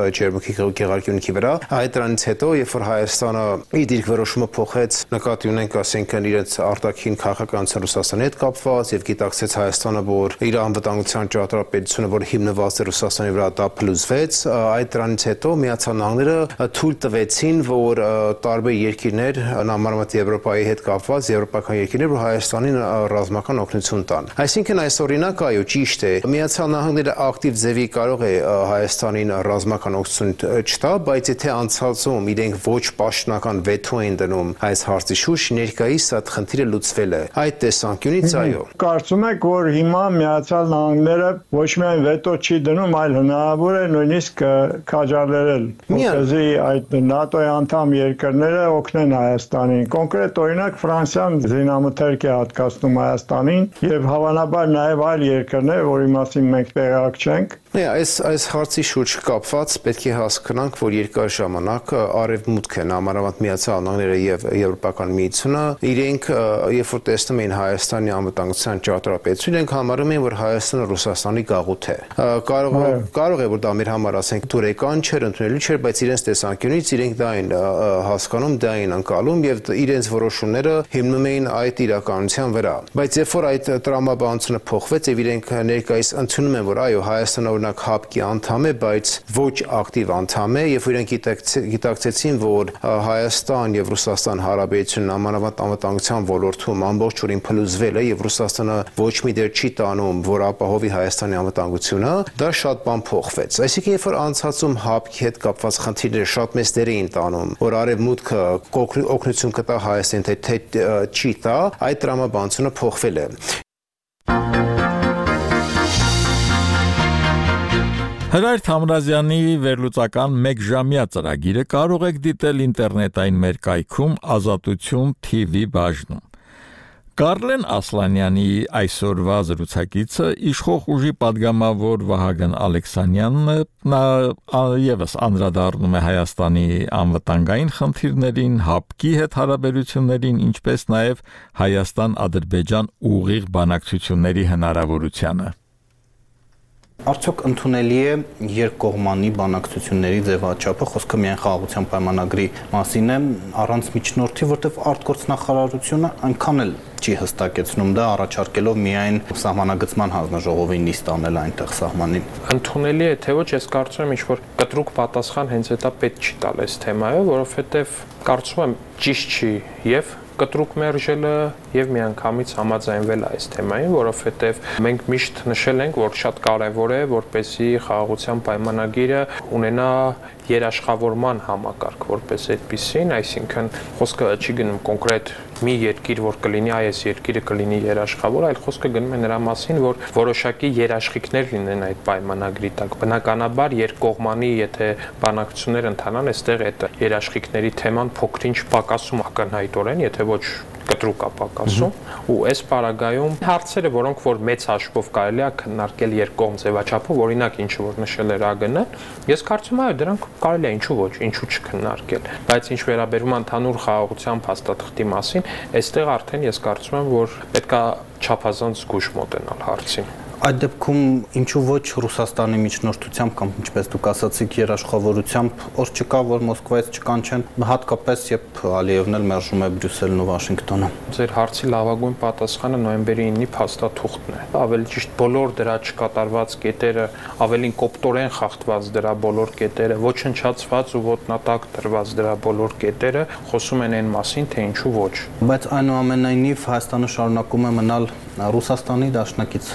Գեղարքյունիքի վրա, այդ դրանից հետո, երբ որ Հայաստանը իր դիրքորոշումը փոխեց, նկատի ունենք, ասենք, իրենց արտաքին քաղաքականության Ռուսաստանի հետ կապված եւ գիտակցեց Հայաստանը, որ իր անվտանգության ճարտարապետությունը, որ հիմնված է Ռուսաստանի վրա, դա փլուզվեց, այդ դրանից հետո Միացյալ Նահանգները թույլ տվեցին, որ տարբեր երկիրներ, նամանավանդ Եվրոպայի հետ կապված եվրոպական երկիրներ, որ Հայաստանին ռազմական օգնություն տան։ Այսինքն այս օրինակ, այո, ճիշտ է, Միացյալ Նահանգները ակտիվ ձևի կարող է Հայաստանին ռազմական օգնություն պատրաստություն չտա, բայց եթե անցածում իրենք ոչ պաշտոնական վետո են դնում այս հարցի շուրջ, ներկայիս այդ խնդիրը լուծվել է։ Այդ տեսանկյունից այո։ Կարծում եք, որ հիմա Միացյալ Նահանգները ոչ միայն վետո չի դնում, այլ հնարավոր է նույնիսկ քաջալերել, որպեսզի այդ ՆԱՏՕ-ի անդամ երկրները օգնեն Հայաստանին։ Կոնկրետ օրինակ Ֆրանսիան զինամթերք է հատկացնում Հայաստանին եւ հավանաբար նաեւ այլ երկրներ, որի մասին մենք տեղյակ չենք։ Այս հարցի շուրջ կապված պետք է հասկանանք, որ երկար ժամանակ Արևմուտքը, համարավանդ Միացյալ Նահանգները եւ Եվրոպական միությունը, իրենք երբ որ տեսնում էին Հայաստանի անվտանգության ճարտարապետություն, իրենք համարում էին, որ Հայաստանը Ռուսաստանի գաղութ է։ Կարող է որ դա մեր համար ասենք դուրեկան չէր, ընդունելի չէր, բայց իրենց տեսանկյունից իրենք դա են հասկանում, դա են անցալում եւ իրենց որոշումները հիմնում էին այդ իրականության վրա։ Բայց երբ որ այդ տրամաբանությունը փոխվեց եւ իրենք ներկայիս ընդունում են, որ այո, Հայաստանը ՀԱՊԿ-ի անդամ է, բայց ոչ ակտիվ անդամ է, եւ իրենք գիտակցեցին, որ Հայաստան եւ Ռուսաստան հարաբերությունն ամենավանդ անվտանգության ոլորտում ամբողջովին փլուզվել է եւ Ռուսաստանը ոչ մի դեր չի տանում, որ ապահովի Հայաստանի անվտանգությունը, դա շատ բան փոխվեց։ Այսինքն, երբ որ անցածում ՀԱՊԿ-ի հետ կապված խնդիրները շատ մեծ դեր էին տանում, որ Արևմուտքը օգնություն կտա Հայաստանին, թե չի տա, այդ տրամաբանությունը փոխվել է։ Հրայր Թամրազյանի վերլուծական 1 ժամյա ծրագիրը կարող եք դիտել ինտերնետային մեր կայքում Ազատություն TV բաժնում։ Կարլեն Ասլանյանի այսօրվա զրուցակիցը իշխող ուժի падգամավոր Վահագն Ալեքսանյանն նա եւս անդրադառնում է Հայաստանի անվտանգային խնդիրներին, ՀԱՊԿ-ի հետ հարաբերություններին, ինչպես նաեւ Հայաստան-Ադրբեջան ուղիղ բանակցությունների հնարավորությանը։ Արդյոք ընդունելի է երկկողմանի բանակցությունների ձևաչափը, խոսքը միայն խաղաղության պայմանագրի մասին է, առանց միջնորդի, որտեղ արտգործնախարարությունը այնքան էլ չի հստակեցնում դա, առաջարկելով միայն սահմանագծման հանձնաժողովի նիստ անել այնտեղ սահմանին։ Ընդունելի է, թե ոչ, ես կարծում եմ, ինչ-որ կտրուկ պատասխան հենց դա պետք չի տալ այս թեմայով, որովհետև կարծում եմ ճիշտ չի եւ կտրուկ մերժելը եւ միանգամից համաձայնվել այս թեմային, որովհետեւ մենք միշտ նշել ենք, որ շատ կարեւոր է, որպեսզի խաղաղության պայմանագիրը ունենա երաշխավորման համակարգ, որպես այդպիսին, այսինքն խոսքը չի գնում կոնկրետ մի երկիր, որ կլինի այս երկիրը կլինի երաշխավոր, այլ խոսքը գնում է նրա մասին, որ որոշակի երաշխիքներ լինեն այդ պայմանագրի տակ։ Բնականաբար երկկողմանի, եթե բանակցություններ ընթանան, այստեղ այդ երաշխիքների թեման փոքրինչ պակասում ակնհայտորեն, եթե ոչ կտրուկ ապակասում ու այս պարագայում հարցերը, որոնք որ մեծ հաշվով կարելի է քննարկել երկկողմ ձևաչափով, օրինակ ինչը որ նշել էր ԱԳՆ-ը, ես կարծում եմ, դրանք կարելի է ինչու ոչ, ինչու չքննարկել, բայց ինչ վերաբերում ընդհանուր խաղաղության փաստաթղթի մասին, այստեղ արդեն ես կարծում եմ, որ պետքա չափազանց զգուշ մոտենալ հարցին։ Այդ դեպքում ինչու ոչ Ռուսաստանի միջնորդությամբ կամ ինչպես դուք ասացիք երաշխավորությամբ օր չկա որ Մոսկվայից չկանչեն հատկապես երբ Ալիևն էլ մերժում է Բրյուսելն ու Վաշինգտոնը։ Ձեր հարցի լավագույն պատասխանը նոյեմբերի 9-ի փաստաթուղթն է։ Ավելի ճիշտ բոլոր դրա չկատարված կետերը, ավելին կոպտորեն խախտված դրա բոլոր կետերը, ոչնչացված ու ոտնատակ դրված դրա բոլոր կետերը խոսում են այն մասին, թե ինչու ոչ։ Բայց այնուամենայնիվ Հայաստանը շարունակում է մնալ Ռուսաստանի դաշնակից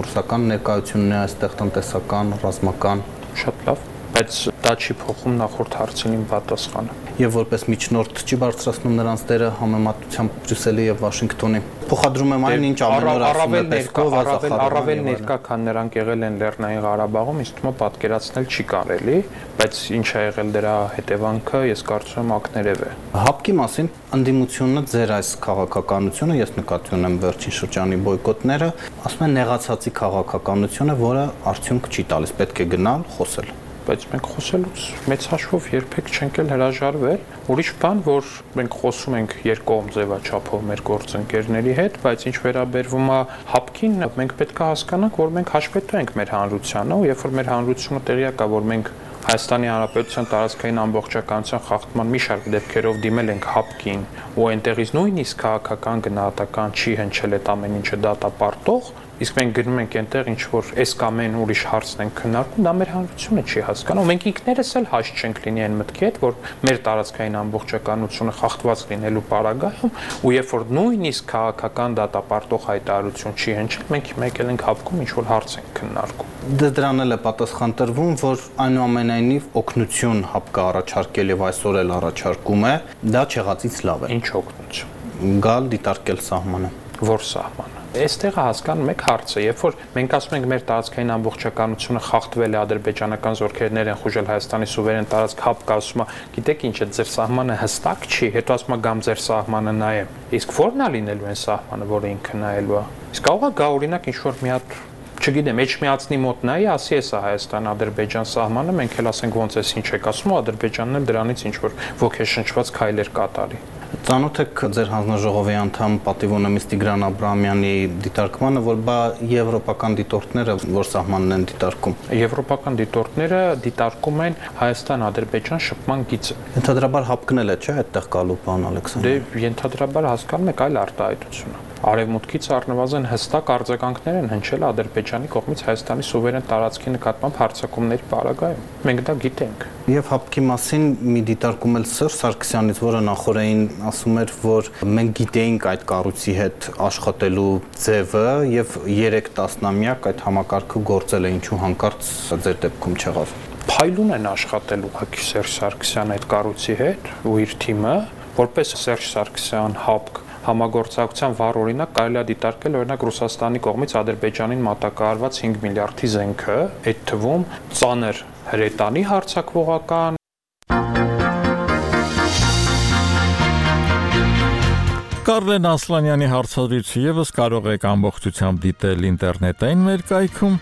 ռուսական ներկայությունն է այստեղ տնտեսական, ռազմական, շատ լավ, բայց դա չի փոխում նախորդ հարցին իմ պատասխանը։ Եվ որպես միջնորդ չի բարձրացնում նրանց դերը համեմատությամբ Բրյուսելի եւ Վաշինգտոնի։ Փոխադրում եմ այն, ինչ ամեն օր ասում է Պեսկով, առավել ներկա, քան նրանք եղել են Լեռնային Ղարաբաղում, ինձ թվում է պատկերացնել չի կարելի, բայց ինչ է եղել դրա հետևանքը, ես կարծում եմ ակներև է։ ՀԱՊԿ-ի մասին ընդդիմությունը ձեր այս քաղաքականությունը, ես նկատի ունեմ վերջին շրջանի բոյկոտները, ասում են նեղացածի քաղաքականությունը, որը արդյունք չի տալիս, պետք է գնալ, խոսել։ Բայց մենք խոսելուց մեծ հաշվով երբեք չենք էլ հրաժարվել։ Ուրիշ բան, որ մենք խոսում ենք երկկողմ ձևաչափով մեր գործընկերների հետ, բայց ինչ վերաբերվում է ՀԱՊԿ-ին, մենք պետք է հասկանանք, որ մենք հաշվետու ենք մեր հանրությանը, ու երբ որ մեր հանրությունը տեղյակ է, որ մենք Հայաստանի Հանրապետության տարածքային ամբողջականության խախտման մի շարք դեպքերով դիմել ենք ՀԱՊԿ-ին ու այնտեղից նույնիսկ քաղաքական գնահատական չի հնչել այդ ամեն ինչը դատապարտող, Իսկ մենք գնում ենք այնտեղ ինչ որ այս կամ այն ուրիշ հարցն են քննարկում, դա մեր հանրությունը չի հասկանում։ Մենք ինքներս էլ հաշտ չենք լինի այն մտքի հետ, որ մեր տարածքային ամբողջականությունը խախտված լինելու պարագայում, ու երբ որ նույնիսկ քաղաքական դատապարտող հայտարարություն չի հնչել, մենք մեկ էլ ենք հապկում ինչ որ հարց ենք քննարկում։ Դրան էլ է պատասխան տրվում, որ այնուամենայնիվ օգնություն հապկը առաջարկել եւ այսօր էլ առաջարկում է, դա չեղածից լավ է։ Ինչ օգնություն։ Գալ դիտարկել սահմանը։ Որ սահմանը։ Այստեղ հասկանում եք հարցը, երբ որ մենք ասում ենք մեր տարածքային ամբողջականությունը խախտվել է, ադրբեջանական զորքերներ են խուժել Հայաստանի սուվերեն տարածք, հապկը ասում է, գիտեք ինչ է, ձեր սահմանը հստակ չի, հետո ասում է գամ ձեր սահմանը նայեմ։ Իսկ ո՞րն է լինելու այն սահմանը, որը ինքը նայելու է։ Իսկ կարող է գա օրինակ ինչ որ մի հատ չգիտեմ, Էջմիածնի մոտ նայի, ասի էսա Հայաստան-Ադրբեջան սահմանը, մենք էլ ասենք ոնց էս ինչ եք ասում, Ադրբեջանն էլ դրանից ինչ որ ոգեշնչված քայլեր կատարի։ Ծանոթ եք ձեր հանձնաժողովի անդամ պատիվ ունեմից Տիգրան Աբրահամյանի դիտարկմանը, որ բա եվրոպական դիտորդները որ սահմանն են դիտարկում։ Եվրոպական դիտորդները դիտարկում են Հայաստան-Ադրբեջան շփման գիծը։ Ենթադրաբար հապկնել է, չէ՞, այդտեղ գալու բան Ալեքսանդր։ Դե ենթադրաբար հասկանում եք այլ արտահայտություն է։ Արևմուտքից առնվազն հստակ արձագանքներ են հնչել Ադրբեջանի կողմից Հայաստանի սուվերեն տարածքի նկատմամբ հարձակումների պարագայում։ Մենք դա գիտենք։ Եվ հապկի մասին մի դիտարկում էլ Սերժ Սարգսյանից, որը նախորդին ասում էր, որ մենք գիտեինք այդ կառույցի հետ աշխատելու ձևը եւ 3 տասնամյակ այդ համակարգը գործել է, ինչու հանկարծ ձեր դեպքում չեղավ։ Փայլուն են աշխատել ուղղակի Սերժ Սարգսյանը այդ կառույցի հետ ու իր թիմը, որպես Սերժ Սարգսյան հապկ համագործակցության վառ օրինակ կարելի է դիտարկել օրինակ Ռուսաստանի կողմից Ադրբեջանին մատակարարված 5 միլիարդի զենքը, այդ թվում ծանր հրետանի հարձակվողական Կարլեն Ասլանյանի հարցադրույցը եւս կարող եք ամբողջությամբ դիտել ինտերնետային վերկայքում։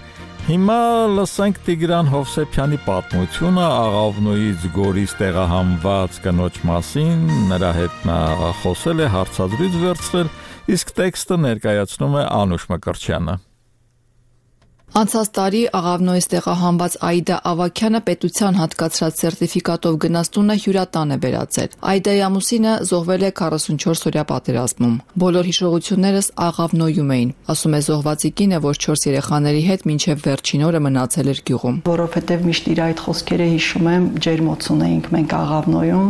Հիմա լսենք Տիգրան Հովսեփյանի պատմությունը Աղավնոյից Գորիս տեղահանված կնոջ մասին, նրա հետ նա խոսել է, հարցադրույց վերցրել, իսկ տեքստը ներկայացնում է Անուշ Մկրտչյանը։ Անցած տարի Աղավնոյից տեղահանված Աիդա Ավագյանը պետության հատկացրած սերտիֆիկատով գնաց տունը հյուրատան է վերածել։ Աիդայի ամուսինը զոհվել է 44-օրյա պատերազմում։ Բոլոր հիշողություններս Աղավնոյում էին, ասում է զոհվածի կինը, որ 4 երեխաների հետ մինչև վերջին օրը մնացել էր գյուղում։ Որովհետև միշտ իր այդ խոսքերը հիշում եմ, ջերմոցուն էինք մենք Աղավնոյում։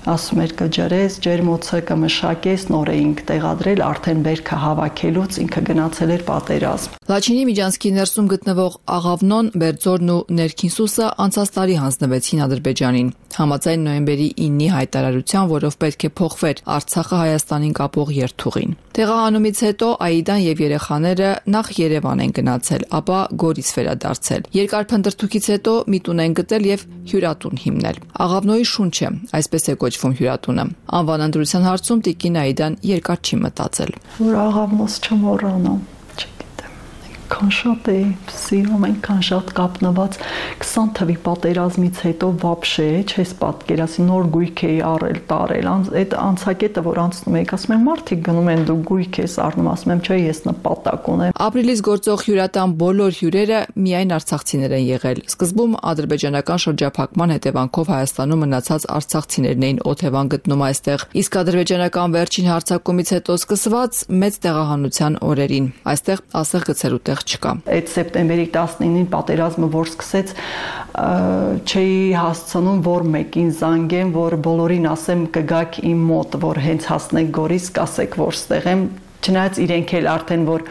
Ասում էր կջրես, ջերմոցը կմշակես, նոր էինք տեղադրել, արդեն բերքը հավաքելուց ինքը գնացել էր պատերազմ։ Լաչինի Միջանցքի ներսում գտնվող Աղավնոն, Բերձորն ու Ներքին Սուսը անցած տարի հանձնվեցին Ադրբեջանին։ Համաձայն նոյեմբերի 9-ի հայտարարության, որով պետք է փոխվեր Արցախը Հայաստանին կապող երթուղին։ Տեղահանումից հետո Աիդան եւ երեխաները նախ Երևան են գնացել, ապա Գորիս վերադարձել։ Երկար փնտրտուքից հետո մի տուն են գտել եւ հյուրատուն հիմնել։ Աղավնոյի շունչը, այսպես է կոչվում հյուրատունը։ Անվան ընտրության հարցում տիկին Աիդան երկար չի մտածել։ Որ Աղավնոս չմոռանամ։ Այնքան շատ է սիրում, այնքան շատ կապնված 20 թվի պատերազմից հետո վաբշե չես պատկերացնի նոր գույք էի առել տարել այդ անցակետը որ անցնում եք ասում են մարդիկ գնում են դու գույք ես առնում ասում եմ չէ ես նպատակ ունեմ ապրիլից գործող հյուրատան բոլոր հյուրերը միայն արցախցիներ են եղել սկզբում ադրբեջանական շրջափակման հետևանքով Հայաստանում մնացած արցախցիներն էին օթևան գտնում այստեղ իսկ ադրբեջանական վերջին հարձակումից հետո սկսված մեծ տեղահանության օրերին այստեղ ասեղ գցելու տեղ չկա։ Այդ սեպտեմբերի 19-ին պատերազմը որ սկսեց չէի հասցնում որ մեկին զանգեմ, որ բոլորին ասեմ կգաք իմ մոտ, որ հենց հասնեք Գորիս, կասեք որ ստեղ եմ, չնայած իրենք էլ արդեն որ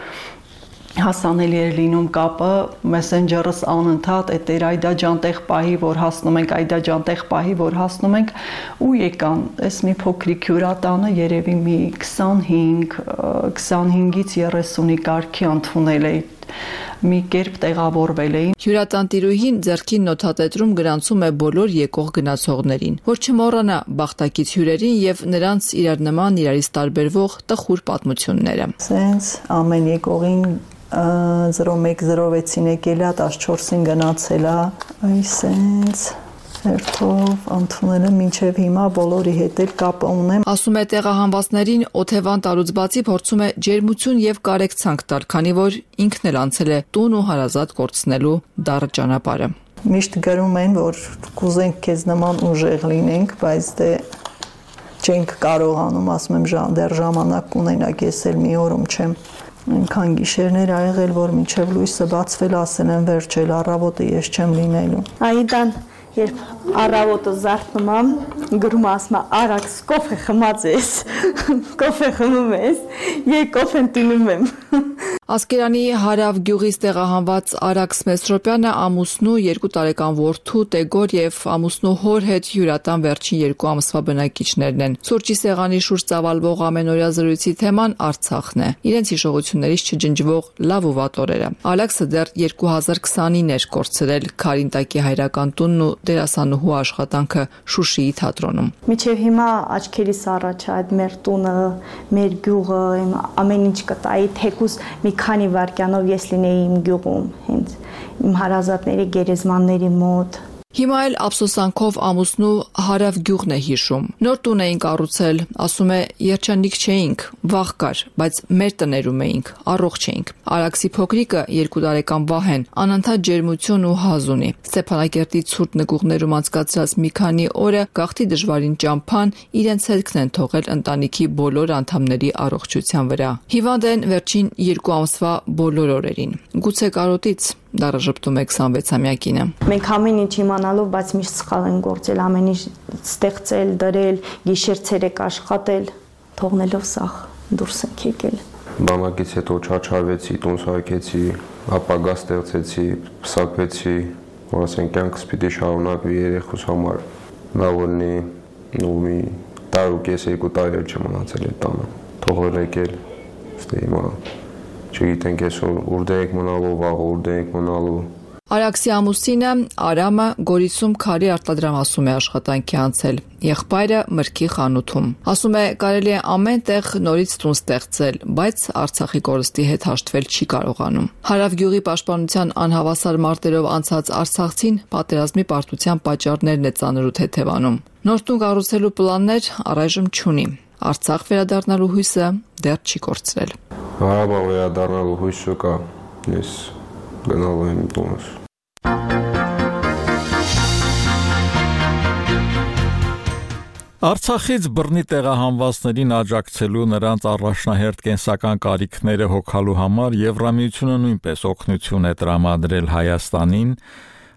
հասանելի էր լինում կապը, մեսենջերս անընդհատ այդ էր Այդա ջան տեղ պահի, որ հասնում ենք, Այդա ջան տեղ պահի, որ հասնում ենք ու եկան, այս մի փոքրիկ հյուրատանը երևի մի 25-ից 30-ի կարգի ընդունել է մի կերպ տեղավորվել էին։ Հյուրատան տիրուհին ձեռքին նոթատետրում գրանցում է բոլոր եկող գնացողներին, որ չմոռանա բախտակից հյուրերին եւ նրանց իրար նման իրարից տարբերվող տխուր պատմությունները։ Սենց ամեն եկողին 0106-ին եկել է, 14-ին գնացել է, այսենց հերթով ընդունել եմ մինչև հիմա բոլորի հետ էլ կապ ունեմ։ Ասում է տեղահանվածներին օթևան տալուց բացի փորձում է ջերմություն եւ կարեկցանք տալ, քանի որ ինքն էլ անցել է տուն ու հարազատ կորցնելու դառը ճանապարհը։ Միշտ գրում են, որ կուզենք քեզ նման ուժեղ լինենք, բայց դե չենք կարողանում, ասում եմ դեռ ժամանակ ունենակ, ես էլ մի օրում չեմ այնքան գիշերներ ա եղել, որ մինչև լույսը բացվել ասել են վերջել առավոտը ես չեմ լինելու։ Այդան երբ առավոտը զարթնում եմ, գրում ասում եմ արաքս կոֆե խմած ես, կոֆե խմում ես, եկ կոֆեն տունում եմ։ Ասկերանի հարավ գյուղից տեղահանված Արաքս Մեսրոպյանը ամուսնու 2 տարեկան որդու Տեգոր եւ ամուսնու հոր հետ հյուրատան վերջին 2 ամսվա բնակիչներն են։ Սուրճի սեղանի շուրջ ծավալվող ամենօրյա զրույցի թեման Արցախն է։ Իրենց հիշողություններից չջնջվող լավ ու վատ օրերը։ Ալեքսը դեռ 2029 էր կորցրել Քարինտակի հայրական տունն ու դերասանուհու աշխատանքը Շուշիի թատրոնում։ Մինչև հիմա աչքերիս առաջ այդ մեր տունը, մեր գյուղը, ամեն ինչ կտայի, թեկուզ մի քանի վայրկյանով ես լինեի իմ գյուղում, հենց իմ հարազատների գերեզմանների մոտ։ Հիմա էլ ափսոսանքով ամուսնու հարավ գյուղն է հիշում։ Նոր տուն էին կառուցել, ասում է, երջանիկ չէինք, վախ կար, բայց մեր տներում էինք, առողջ էինք։ Արաքսի փոքրիկը 2 տարեկան Վահեն անընդհատ ջերմություն ու հազ ունի։ Ստեփանակերտի ցուրտ նկուղներում անցկացրած մի քանի օրը գաղթի դժվարին ճամփան իրենց հետքն են թողել ընտանիքի բոլոր անդամների առողջության վրա։ Հիվանդ են վերջին 2 ամսվա բոլոր օրերին։ Գուցե կարոտից դառը ժպտում է 26-ամյակինը։ Մենք ամեն ինչ իմանալով, բայց միշտ սխալ են գործել, ամեն ինչ ստեղծել, դրել, գիշեր-ցերեկ աշխատել, թողնելով սաղ դուրս ենք եկել։ Բանակից հետո չաչարվեցի, տուն սարքեցի, ապագա ստեղծեցի, փսակվեցի, որ ասենք կյանքս պիտի շարունակվի երեխուս համար։ Լավ լինի, ու մի տարի ու կես 2 տարի չեմ մնացել այդ տանը։ Թողել եկել, ստե հիմա չգիտենք այսօր ուր ենք մնալու, վաղ ուր ենք մնալու։ Արաքսի ամուսինը Արամը Գորիսում քարի արտադրամասում է աշխատանքի անցել, եղբայրը մրգի խանութում։ Ասում է, կարելի է ամեն տեղ նորից տուն ստեղծել, բայց Արցախի կորստի հետ հաշտվել չի կարողանում։ Հարավ գյուղի պաշտպանության անհավասար մարտերով անցած արցախցին պատերազմի պարտության պատճառներն է ծանրու թեթևանում։ Նոր տուն կառուցելու պլաններ առայժմ չունի։ Արցախ վերադառնալու հույսը դեռ չի կորցրել։ Հարաբա վերադառնալու հույսը կա, ես գնալու եմ տունս։ Արցախից բռնի տեղահանվածներին աջակցելու նրանց առաջնահերթ կենսական կարիքները հոգալու համար Եվրամիությունը նույնպես օգնություն է տրամադրել Հայաստանին։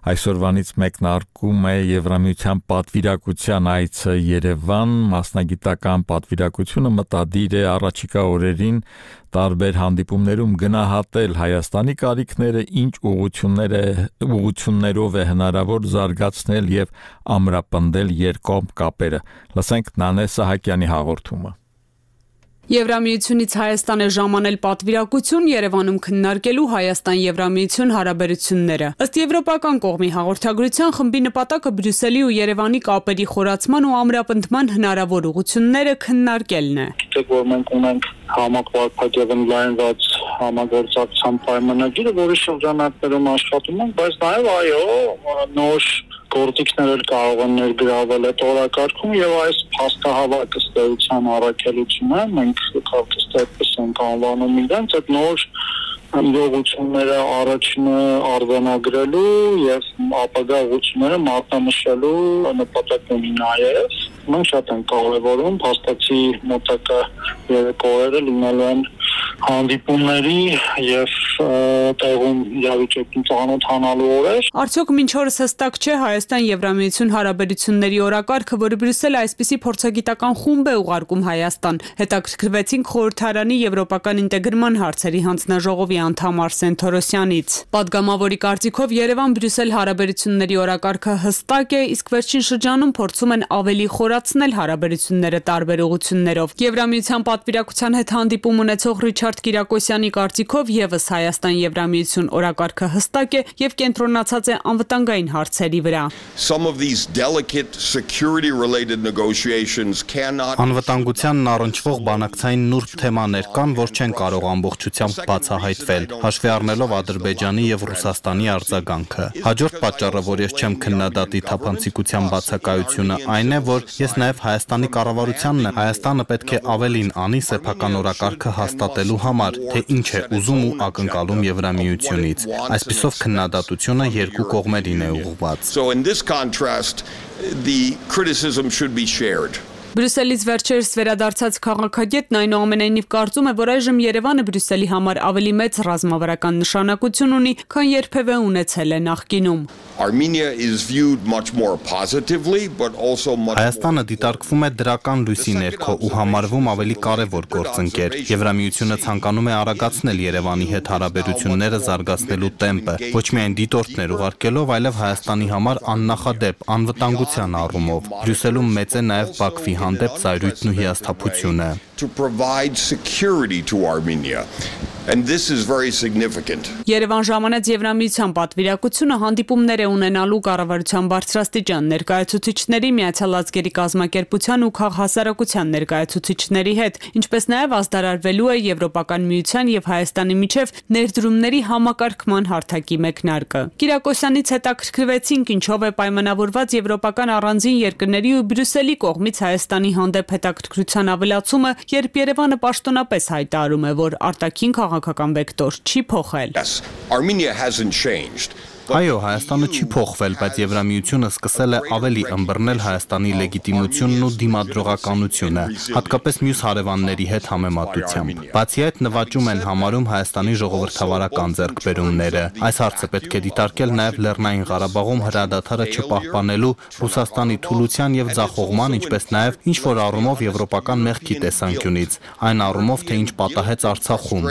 Այսօրվանից մեկնարկում է Եվրամիության պատվիրակության այցը Երևան, մասնագիտական պատվիրակությունը մտադիր է առաջիկա օրերին տարբեր հանդիպումներում գնահատել Հայաստանի կարիքները, ինչ ուղղություններով է հնարավոր զարգացնել եւ ամրապնդել երկկողմ կապերը։ Լսենք Նանե Սահակյանի հաղորդումը։ Եվրամիությունից Հայաստան է ժամանել պատվիրակություն Երևանում քննարկելու Հայաստան-Եվրամիություն հարաբերությունները։ Ըստ եվրոպական կողմի հաղորդագրության խմբի նպատակը Բրյուսելի ու Երևանի կապերի խորացման ու ամրապնդման հնարավոր ուղղությունները քննարկելն է։ Գիտեք, որ մենք ունենք համակարգ ընդլայնված համագործակցության պայմանագիրը, որի շրջանակներում աշխատում ենք, բայց նաև նոր գործիքներ էլ կարող են ներգրավել այդ օրակարգում եւ այս փաստահավաք ըստեյության առաքելությունը մենք քաղաքից այդպես ենք անվանում իրենց այդ նոր իրողությունները առաջինը արձանագրելու եւ ապագա ուղղությունները մատնանշելու նպատակ ունի նաեւ մենք շատ ենք կարևորում փաստացի մոտակա օրերը լինելու են հանդիպումների եւ տեղում իրավիճակին ծանոթանալու օրեր։ Արդյոք մինչ օրս հստակ չէ Հայաստան-Եվրամիություն հարաբերությունների օրակարգը, որը Բրյուսելը այսպիսի փորձագիտական խումբ է ուղարկում Հայաստան։ Հետաքրքրվեցինք խորհրդարանի եվրոպական ինտեգրման հարցերի հանձնաժողովի անդամ Արսեն Թորոսյանից։ Պատգամավորի կարծիքով Երևան-Բրյուսել հարաբերությունների օրակարգը հստակ է, իսկ վերջին շրջանում փորձում են ավելի խորացնել հարաբերությունները տարբեր ուղղություններով։ Եվրամիության պատվիրակության հետ հանդիպում ունեցող Ռիչարդ Կիրակոսյանի կարծիքով եւս Հայաստան-Եվրամիություն օրակարգը հստակ է եւ կենտրոնացած է անվտանգային հարցերի վրա։ Անվտանգությանն առնչվող բանակցային նուրբ թեմաներ կան, որ չեն կարող ամբողջությամբ բացահայտվել, հաշվի առնելով Ադրբեջանի եւ Ռուսաստանի արձագանքը։ Հաջորդ պատճառը, որ ես չեմ քննադատի թափանցիկության բացակայությունը, այն է, որ ես նաեւ Հայաստանի կառավարությանն եմ։ Հայաստանը պետք է ավելին անի սեփական օրակարգը հաստատելու համար, թե ինչ է ուզում ու ակնկալում Եվրամիությունից։ Այսպիսով քննադատությունը երկու կողմերին է ուղղված։ Բրյուսելից վերջերս վերադարձած քաղաքագետն այնուամենայնիվ կարծում է, որ այժմ Երևանը Բրյուսելի համար ավելի մեծ ռազմավարական նշանակություն ունի, քան երբևէ ունեցել է նախկինում։ Հայաստանը դիտարկվում է դրական լույսի ներքո ու համարվում ավելի կարևոր գործընկեր։ Եվրամիությունը ցանկանում է արագացնել Երևանի հետ հարաբերությունները զարգացնելու տեմպը, ոչ միայն դիտորդներ ուղարկելով, այլև Հայաստանի համար աննախադեպ անվտանգության առումով։ Բրյուսելում մեծ է նաև Բաքվի հանդեպ զայրույթն ու հիասթափությունը։ Երևան ժամանեց Եվրամիության պատվիրակությունը հանդիպումներ է ունենալու կառավարության բարձրաստիճան ներկայացուցիչների, Միացյալ Ազգերի կազմակերպության ու քաղաքահասարակության ներկայացուցիչների հետ, ինչպես նաև ազդարարվելու է Եվրոպական միության եւ Հայաստանի միջև ներդրումների համակարգման հարթակի մեկնարկը։ Կիրակոսյանից հետաքրքրվեցինք, ինչով է պայմանավորված եվրոպական առանձին երկրների ու Բրյուսելի կողմից Հայաստանի հանդեպ հետաքրքրության ավելացումը, երբ Երևանը պաշտոնապես հայտարարում է, որ արտաքին քաղաքական վեկտոր չի փոխել։ Այո, Հայաստանը չի փոխվել, բայց Եվրամիությունը սկսել է ավելի ըմբռնել Հայաստանի լեգիտիմությունն ու դիմադրողականությունը, հատկապես մյուս հարևանների հետ համեմատությամբ։ Բացի այդ, նվաճում են համարում Հայաստանի ժողովրդավարական ձեռքբերումները։ Այս հարցը պետք է դիտարկել նաև Լեռնային Ղարաբաղում հրադադարը չպահպանելու Ռուսաստանի թուլության եւ ձախողման, ինչպես նաև ինչ-որ առումով եվրոպական մեղքի տեսանկյունից, այն առումով, թե ինչ պատահեց Արցախում։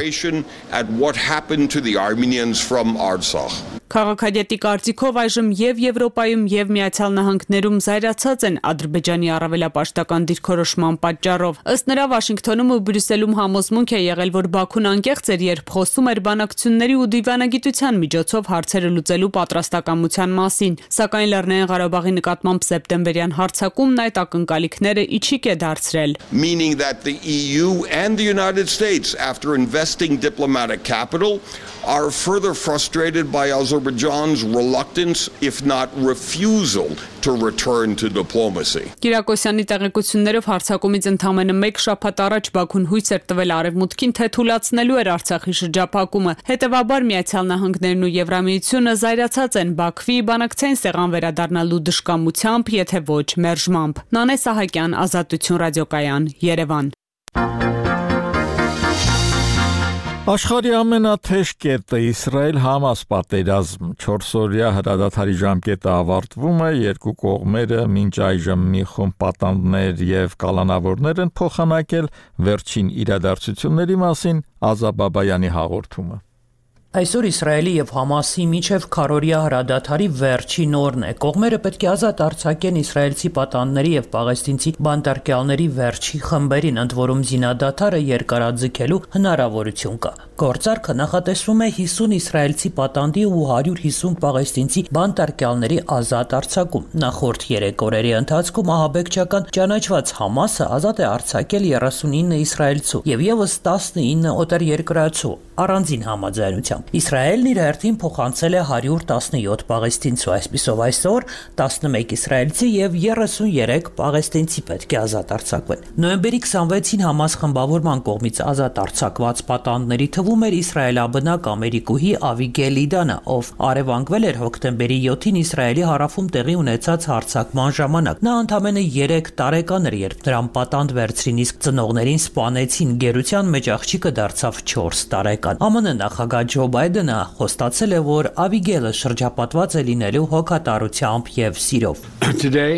Քաղաքագետի կարծիքով այժմ եւ Եվրոպայում եւ Միացյալ Նահանգներում զայրացած են Ադրբեջանի առավելապաշտական դիրքորոշման պատճառով։ Ըստ նրա, Վաշինգտոնում ու Բրյուսելում համոզմունք է եղել, որ Բաքուն անկեղծ էր, երբ խոսում էր բանակցությունների ու դիվանագիտության միջոցով հարցերը լուծելու պատրաստակամության մասին, սակայն Լեռնային Ղարաբաղի նկատմամբ սեպտեմբերյան հարձակումն այդ ակնկալիքները իջիկ է դարձրել։ Meaning that the EU and the United States, after investing diplomatic capital, are further frustrated by Azerbaijan's reluctance, if not refusal, to return to diplomacy. Կիրակոսյանի տեղեկություններով հարձակումից ընդամենը 1 շաբաթ առաջ Բաքուն հույս էր տվել Արևմուտքին, թե թույլատնելու էր Արցախի շրջափակումը։ Հետևաբար Միացյալ Նահանգներն ու Եվրամիությունը զայրացած են Բաքվի բանակցային սեղան վերադառնալու դժկամությամբ, եթե ոչ մերժմամբ։ Նանե Սահակյան, Ազատություն ռադիոկայան, Երևան։ Աշխարհի ամենաթեժ կետը Իսրայել-Համաս պատերազմ 4-օրյա հրադադարի ժամկետը ավարտվում է, երկու կողմերը մինչ այժմ մի խումբ պատանդներ եւ կալանավորներ են փոխանակել վերջին իրադարձությունների մասին Ազա Բաբայանի հաղորդումը։ Այսօր Իսրայելի եւ Համասի միջև քառօրյա հրադադարի վերջին օրն է։ Կողմերը պետք է ազատ արձակեն իսրայելցի պատանդների եւ պաղեստինցի բանտարկյալների վերջի խմբերին, ընդ որում զինադադարը երկարաձգելու հնարավորություն կա։ Գործարքը նախատեսվում է 50 իսրայելցի պատանդի ու 150 պաղեստինցի բանտարկյալների ազատ արձակում։ Նախորդ 3 օրերի ընթացքում ահաբեկչական ճանաչված Համասը ազատ է արձակել 39 իսրայելցու եւ եւս 19 օտարերկրացու առանձին համաձայնությամբ։ Իսրայելն իր հերթին փոխանցել է 117 պաղեստինցու, այսպիսով այսօր 11 իսրայելցի եւ 33 պաղեստինցի պետք է ազատ արձակվեն։ Նոյեմբերի 26-ին Համաս խմբավորման կողմից ազատ արձակված պատանդների թվում էր իսրայելաբնակ ամերիկուհի Ավիգել Իդանը, ով առևանգվել էր հոկտեմբերի 7-ին Իսրայելի հարավում տեղի ունեցած հարձակման ժամանակ։ Նա ընդամենը 3 տարեկան էր, երբ նրան պատանդ վերցրին, իսկ ծնողներին սպանեցին։ Գերության մեջ աղջիկը դարձավ 4 տարեկան։ ԱՄՆ նախագահ Ջո Բայդենը խոստացել է, որ Ավիգելը շրջապատված է լինելու հոգատարությամբ եւ սիրով։ Today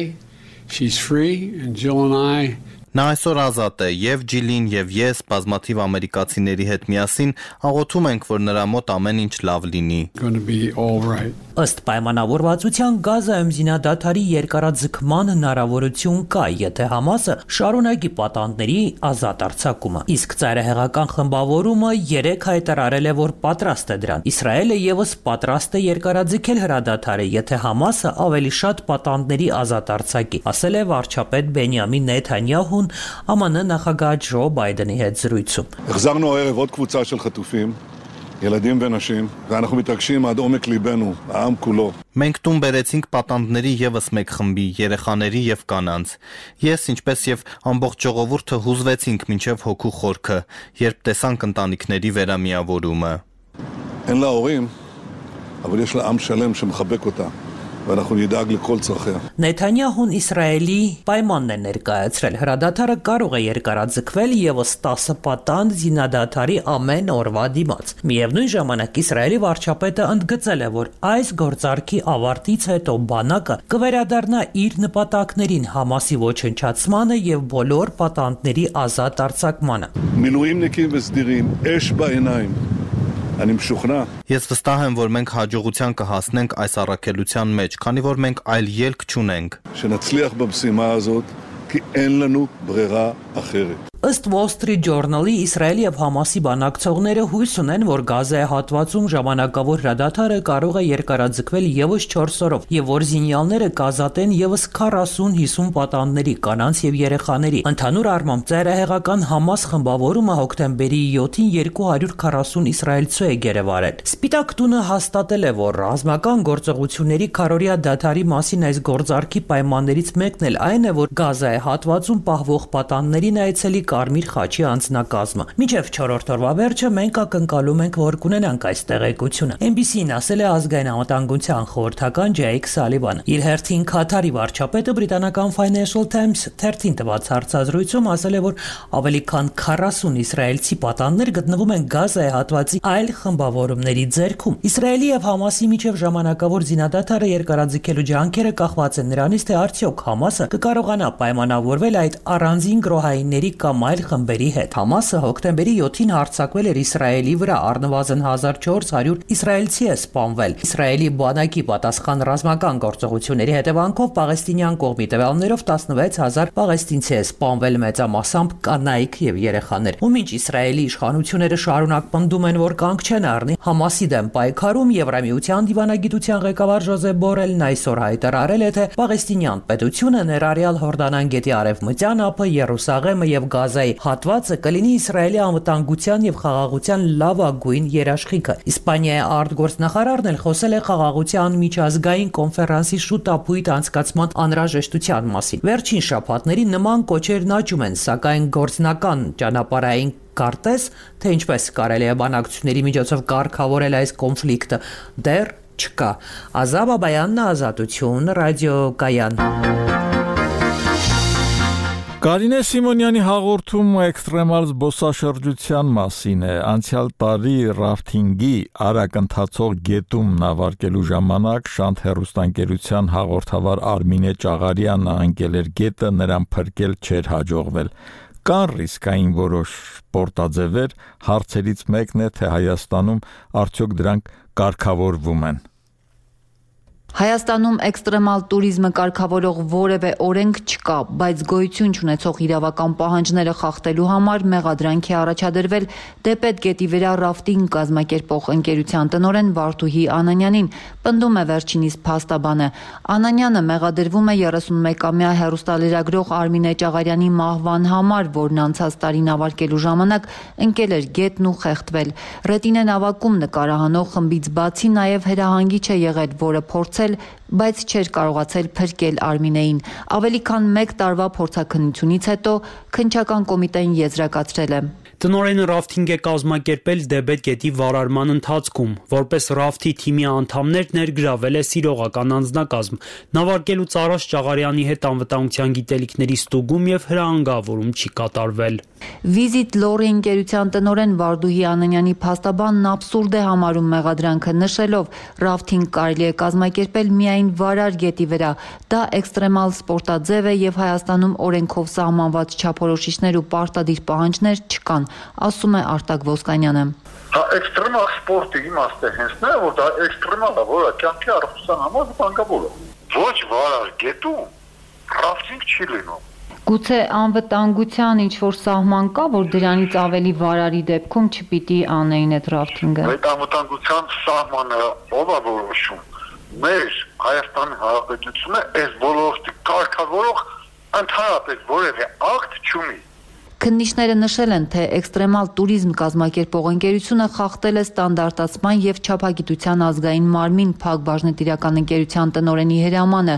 she's free and Jill and I Նա այսօր ազատ է, եւ Ջիլին եւ ես բազմաթիվ ամերիկացիների հետ միասին աղոթում ենք, որ նրա մոտ ամեն ինչ լավ լինի։ Ըստ պայմանավորվածության Գազայում զինադադարի երկարաձգման հնարավորություն կա, եթե Համասը շարունակի պատանդների ազատ արձակումը։ Իսկ ծայրահեղական խմբավորումը 3 հայտարարել է, որ պատրաստ է դրան։ Իսրայելը եւս պատրաստ է երկարաձգել հրադադարը, եթե Համասը ավելի շատ պատանդների ազատ արձակի, ասել է վարչապետ Բենյամին Նեթանյահուն ԱՄՆ նախագահ Ջո Բայդենի հետ զրույցում։ החזרנו הערב עוד קבוצה של חטופים, ילדים ונשים, ואנחנו מתרגשים עד עומק ליבנו, העם כולו. Մենք տուն բերեցինք պատանդների եւս մեկ խմբի, երեխաների եւ կանանց։ Ես, ինչպես եւ ամբողջ ժողովուրդը հուզվեցինք մինչեւ հոգու խորքը, երբ տեսանք ընտանիքների վերամիավորումը։ אין לה הורים, אבל יש לה עם שלם שמחבק אותה ואנחנו נדאג לכל צרכיה. Նեթանյահուն Իսրայելի պայմանն է ներկայացրել։ Հրադադարը կարող է երկարաձգվել եւս 10 պատանդ զինադադարի ամեն օրվա դիմաց։ Միևնույն ժամանակ Իսրայելի վարչապետը ընդգծել է, որ այս գործարքի ավարտից հետո բանակը կվերադառնա իր նպատակներին՝ Համասի ոչնչացմանը եւ բոլոր պատանդների ազատ արձակմանը։ מילואימניקים וסדירים, אש בעיניים. אני משוכנע. Ես վստահ եմ, որ մենք հաջողության կհասնենք այս առաքելության մեջ, քանի որ մենք այլ ելք չունենք։ שנצליח במשימה הזאת, כי אין לנו ברירה אחרת. Ըստ Wall Street Journal-ի Իսրայելի եւ Համասի բանակցողները հույս ունեն, որ Գազայի հատվածում ժամանակավոր հրադադարը կարող է երկարաձգվել եւս 4 օրով եւ որ զինյալները կազատեն եւս 40-50 պատանդների, կանանց եւ երեխաների։ Ընդհանուր առմամբ ծայրահեղական Համաս խմբավորումը հոկտեմբերի 7-ին 240 իսրայելցու է գերեվարել։ Սպիտակ տունը հաստատել է, որ ռազմական գործողությունների քարորիա դադարի մասին այս գործարքի պայմաններից մեկն էլ այն է, որ Գազայի հատվածում պահվող պատանդներին այցելի Կարմիր խաչի անձնակազմը։ Մինչև 4-րդ օրվա վերջը մենք ակնկալում ենք, որ կունենանք այս տեղեկությունը։ NBC-ն ասել է ազգային անվտանգության խորհրդական Ջեյք Սալիվանը։ Իր հերթին Քաթարի վարչապետը բրիտանական Financial Times թերթին տված հարցազրույցում ասել է, որ ավելի քան 40 իսրայելցի պատանդներ գտնվում են Գազայի հատվածի այլ խմբավորումների ձեռքում։ Իսրայելի եւ Համասի միջև ժամանակավոր զինադադարը երկարաձգելու ջանքերը կախված են նրանից, թե արդյոք Համասը կկարողանա պայմանավորվել այդ առանձին գրոհայինների կամ այլ խմբերի հետ։ Համասը հոկտեմբերի 7-ին հարձակվել էր Իսրայելի վրա, առնվազն 1400 իսրայելցի է սպանվել։ Իսրայելի բանակի պատասխան ռազմական գործողությունների հետևանքով պաղեստինյան կողմի տվյալներով 16000 պաղեստինցի է սպանվել, մեծամասամբ կանայք եւ երեխաներ։ Ու մինչ Իսրայելի իշխանությունները շարունակ պնդում են, որ կանգ չեն առնի Համասի դեմ պայքարում, Եվրամիության դիվանագիտության ղեկավար Ժոզեփ Բորելն այսօր հայտարարել է, թե պաղեստինյան պետությունը ներառյալ Հորդանան գետի արևմտյան ափը, Երուսաղեմը եւ Գազայի հատվածը կլինի Իսրայելի անվտանգության եւ խաղաղության լավագույն երաշխիքը։ Իսպանիայի արտգործնախարարն էլ խոսել է խաղաղության միջազգային կոնֆերանսի շուտապույտ անցկացման անհրաժեշտության մասին։ Վերջին շաբաթներին նման կոչերն աճում են, սակայն գործնական ճանապարհային կարտեզ, թե ինչպես կարելի է բանակցությունների միջոցով կարգավորել այս կոնֆլիկտը, դեռ չկա։ Ազաբ Աբայանն, Ազատություն, ռադիոկայան։ Կարինե Սիմոնյանի հաղորդումը էքստրեմալ զբոսաշրջության մասին է։ Անցյալ տարի ռաֆթինգի արագ ընթացող գետում նավարկելու ժամանակ Շանթ հեռուստաընկերության հաղորդավար Արմինե Ճաղարյանը անկել էր գետը, նրան փրկել չէր հաջողվել։ Կան ռիսկային որոշ սպորտաձևեր, հարցերից մեկն է, թե Հայաստանում արդյոք դրանք կարգավորվում են։ Հայաստանում էքստրեմալ տուրիզմը կարգավորող որևէ օրենք չկա, բայց գոյություն չունեցող իրավական պահանջները խախտելու համար մեղադրանք է առաջադրվել Դեպետ գետի վրա ռաֆտինգ կազմակերպող ընկերության տնօրեն Վարդուհի Անանյանին, պնդում է վերջինիս փաստաբանը։ Անանյանը մեղադրվում է 31-ամյա հեռուստալրագրող Արմինե Ճաղարյանի մահվան համար, որն անցած տարի նավարկելու ժամանակ ընկել էր գետն ու խեղդվել։ Ռետինե նավակում նկարահանող խմբից բացի նաև հրահանգիչ է եղել, որը փորձել, բայց չէր կարողացել փրկել Արմինեին։ Ավելի քան 1 տարվա փորձաքննությունից հետո քննչական կոմիտեն եզրակացրել է. Տնօրենը ռաֆթինգ է կազմակերպել Դեբետ գետի վարարման ընթացքում, որպես ռաֆթի թիմի անդամներ ներգրավել է սիրողական անձնակազմ, նավարկելուց առաջ Ճաղարյանի հետ անվտանգության գիտելիքների ստուգում եւ հրահանգավորում չի կատարվել։ Visit Lorry ընկերության տնօրեն Վարդուհի Անանյանի փաստաբանն աբսուրդ է համարում մեղադրանքը, նշելով, ռաֆթինգ կարելի է կազմակերպել միայն Վարար գետի վրա։ Դա էքստրեմալ սպորտաձև է եւ Հայաստանում օրենքով սահմանված չափորոշիչներ ու պարտադիր պահանջներ չկան, ասում է Արտակ Ոսկանյանը։ Դա էքստրեմալ սպորտի իմաստը հենց նա, որ դա էքստրեմալ է, որը կյանքի առողջության համար վտանգավոր է։ Ոչ Վարար գետում ռաֆտինգ չի լինում։ Գուցե անվտանգության ինչ-որ սահման կա, որ դրանից ավելի Վարարի դեպքում չպիտի անեին այդ ռաֆտինգը։ Այդ անվտանգության սահմանը ով է որոշում։ Մեր Հայաստանի Հանրապետությունը այս ոլորտի կարգավորող ընդհանրապես որևէ ակտ չունի։ Քննիչները նշել են, թե էքստրեմալ տուրիզմ կազմակերպող ընկերությունը խախտել է ստանդարտացման եւ չափագիտության ազգային մարմին Փակ բաժնետիրական ընկերության տնօրենի հրամանը։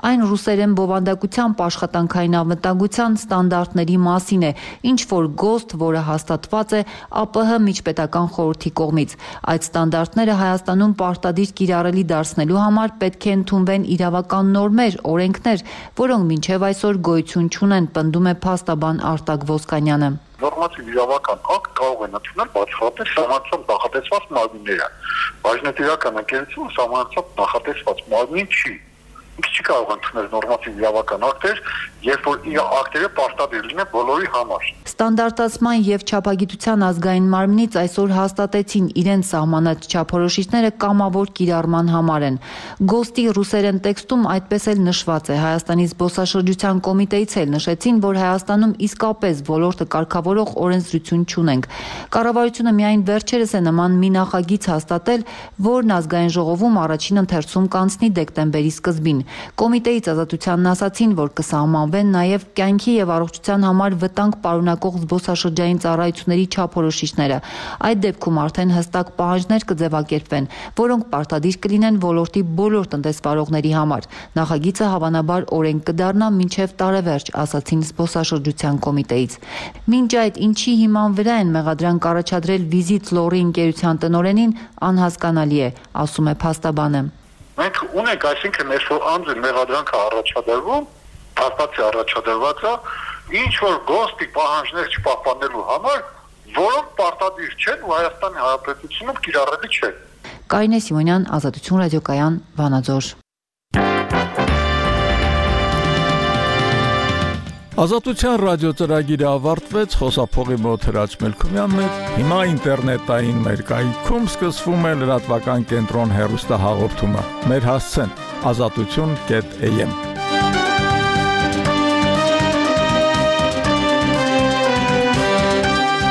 Այն ռուսերեն բովանդակությամբ աշխատանքային անվտանգության ստանդարտների մասին է, ինչ որ գոստ, որը հաստատված է ԱՊՀ միջպետական խորհրդի կողմից։ Այդ ստանդարտները Հայաստանում պարտադիր կիրառելի դարձնելու համար պետք է ընդունվեն իրավական նորմեր, օրենքներ, որոնք մինչև այսօր գոյություն չունեն, պնդում է փաստաբան Արտակ Ոսկանյանը։ Նորմատիվ իրավական ակտ կարող են ընդունել բացառապես համարձակ նախատեսված մարմինները։ Բաժնետիրական ընկերությունը համարձակ նախատեսված մարմին չի։ Ինքը չի կարող ընդունել նորմատիվ իրավական ակտեր, երբ որ իր ակտերը պարտադիր լինեն բոլորի համար։ Ստանդարտացման եւ չափագիտության ազգային մարմնից այսօր հաստատեցին իրենց սահմանած չափորոշիչները կամավոր կիրառման համար են։ Գոստի ռուսերեն տեքստում այդպես էլ նշված է։ Հայաստանի զբոսաշրջության կոմիտեից էլ նշեցին, որ Հայաստանում իսկապես ոլորտը կարգավորող օրենսդրություն չունենք։ Կառավարությունը միայն վերջերս է նման մի նախագիծ հաստատել, որն ազգային ժողովում առաջին ընթերցում կանցնի դեկտեմբերի սկզբին։ Կոմիտեից ազատությանն ասացին, որ կսահմանվեն նաև կյանքի եւ առողջության համար վտանգ պարունակող զբոսաշրջային ծառայությունների չափորոշիչները։ Այդ դեպքում արդեն հստակ պահանջներ կձևակերպվեն, որոնք պարտադիր կլինեն ոլորտի բոլոր տնտեսվարողների համար։ Նախագիծը հավանաբար օրենք կդառնա մինչև տարեվերջ, ասացին զբոսաշրջության կոմիտեից։ Մինչ այդ ինչի հիման վրա են մեղադրանք առաջադրել Visit Lorry ընկերության տնօրենին, անհասկանալի է, ասում է փաստաբանը։ Մենք ունենք, այսինքն այսօր անձը մեղադրանքը առաջադրվում, փաստացի առաջադրված է, ինչ որ գոստի պահանջներ չպահպանելու համար, որոնք պարտադիր չեն ու Հայաստանի Հանրապետությունում կիրառելի չեն։ Կարինե Սիմոնյան, Ազատություն ռադիոկայան, Վանաձոր։ Ազատության ռադիոծրագիրը ավարտվեց, խոսափողի մոտ Հրաչ Մելքումյանն էր։ Հիմա ինտերնետային մեր կայքում սկսվում է լրատվական կենտրոն հեռուստահաղորդումը։ Մեր հասցեն azatutun.am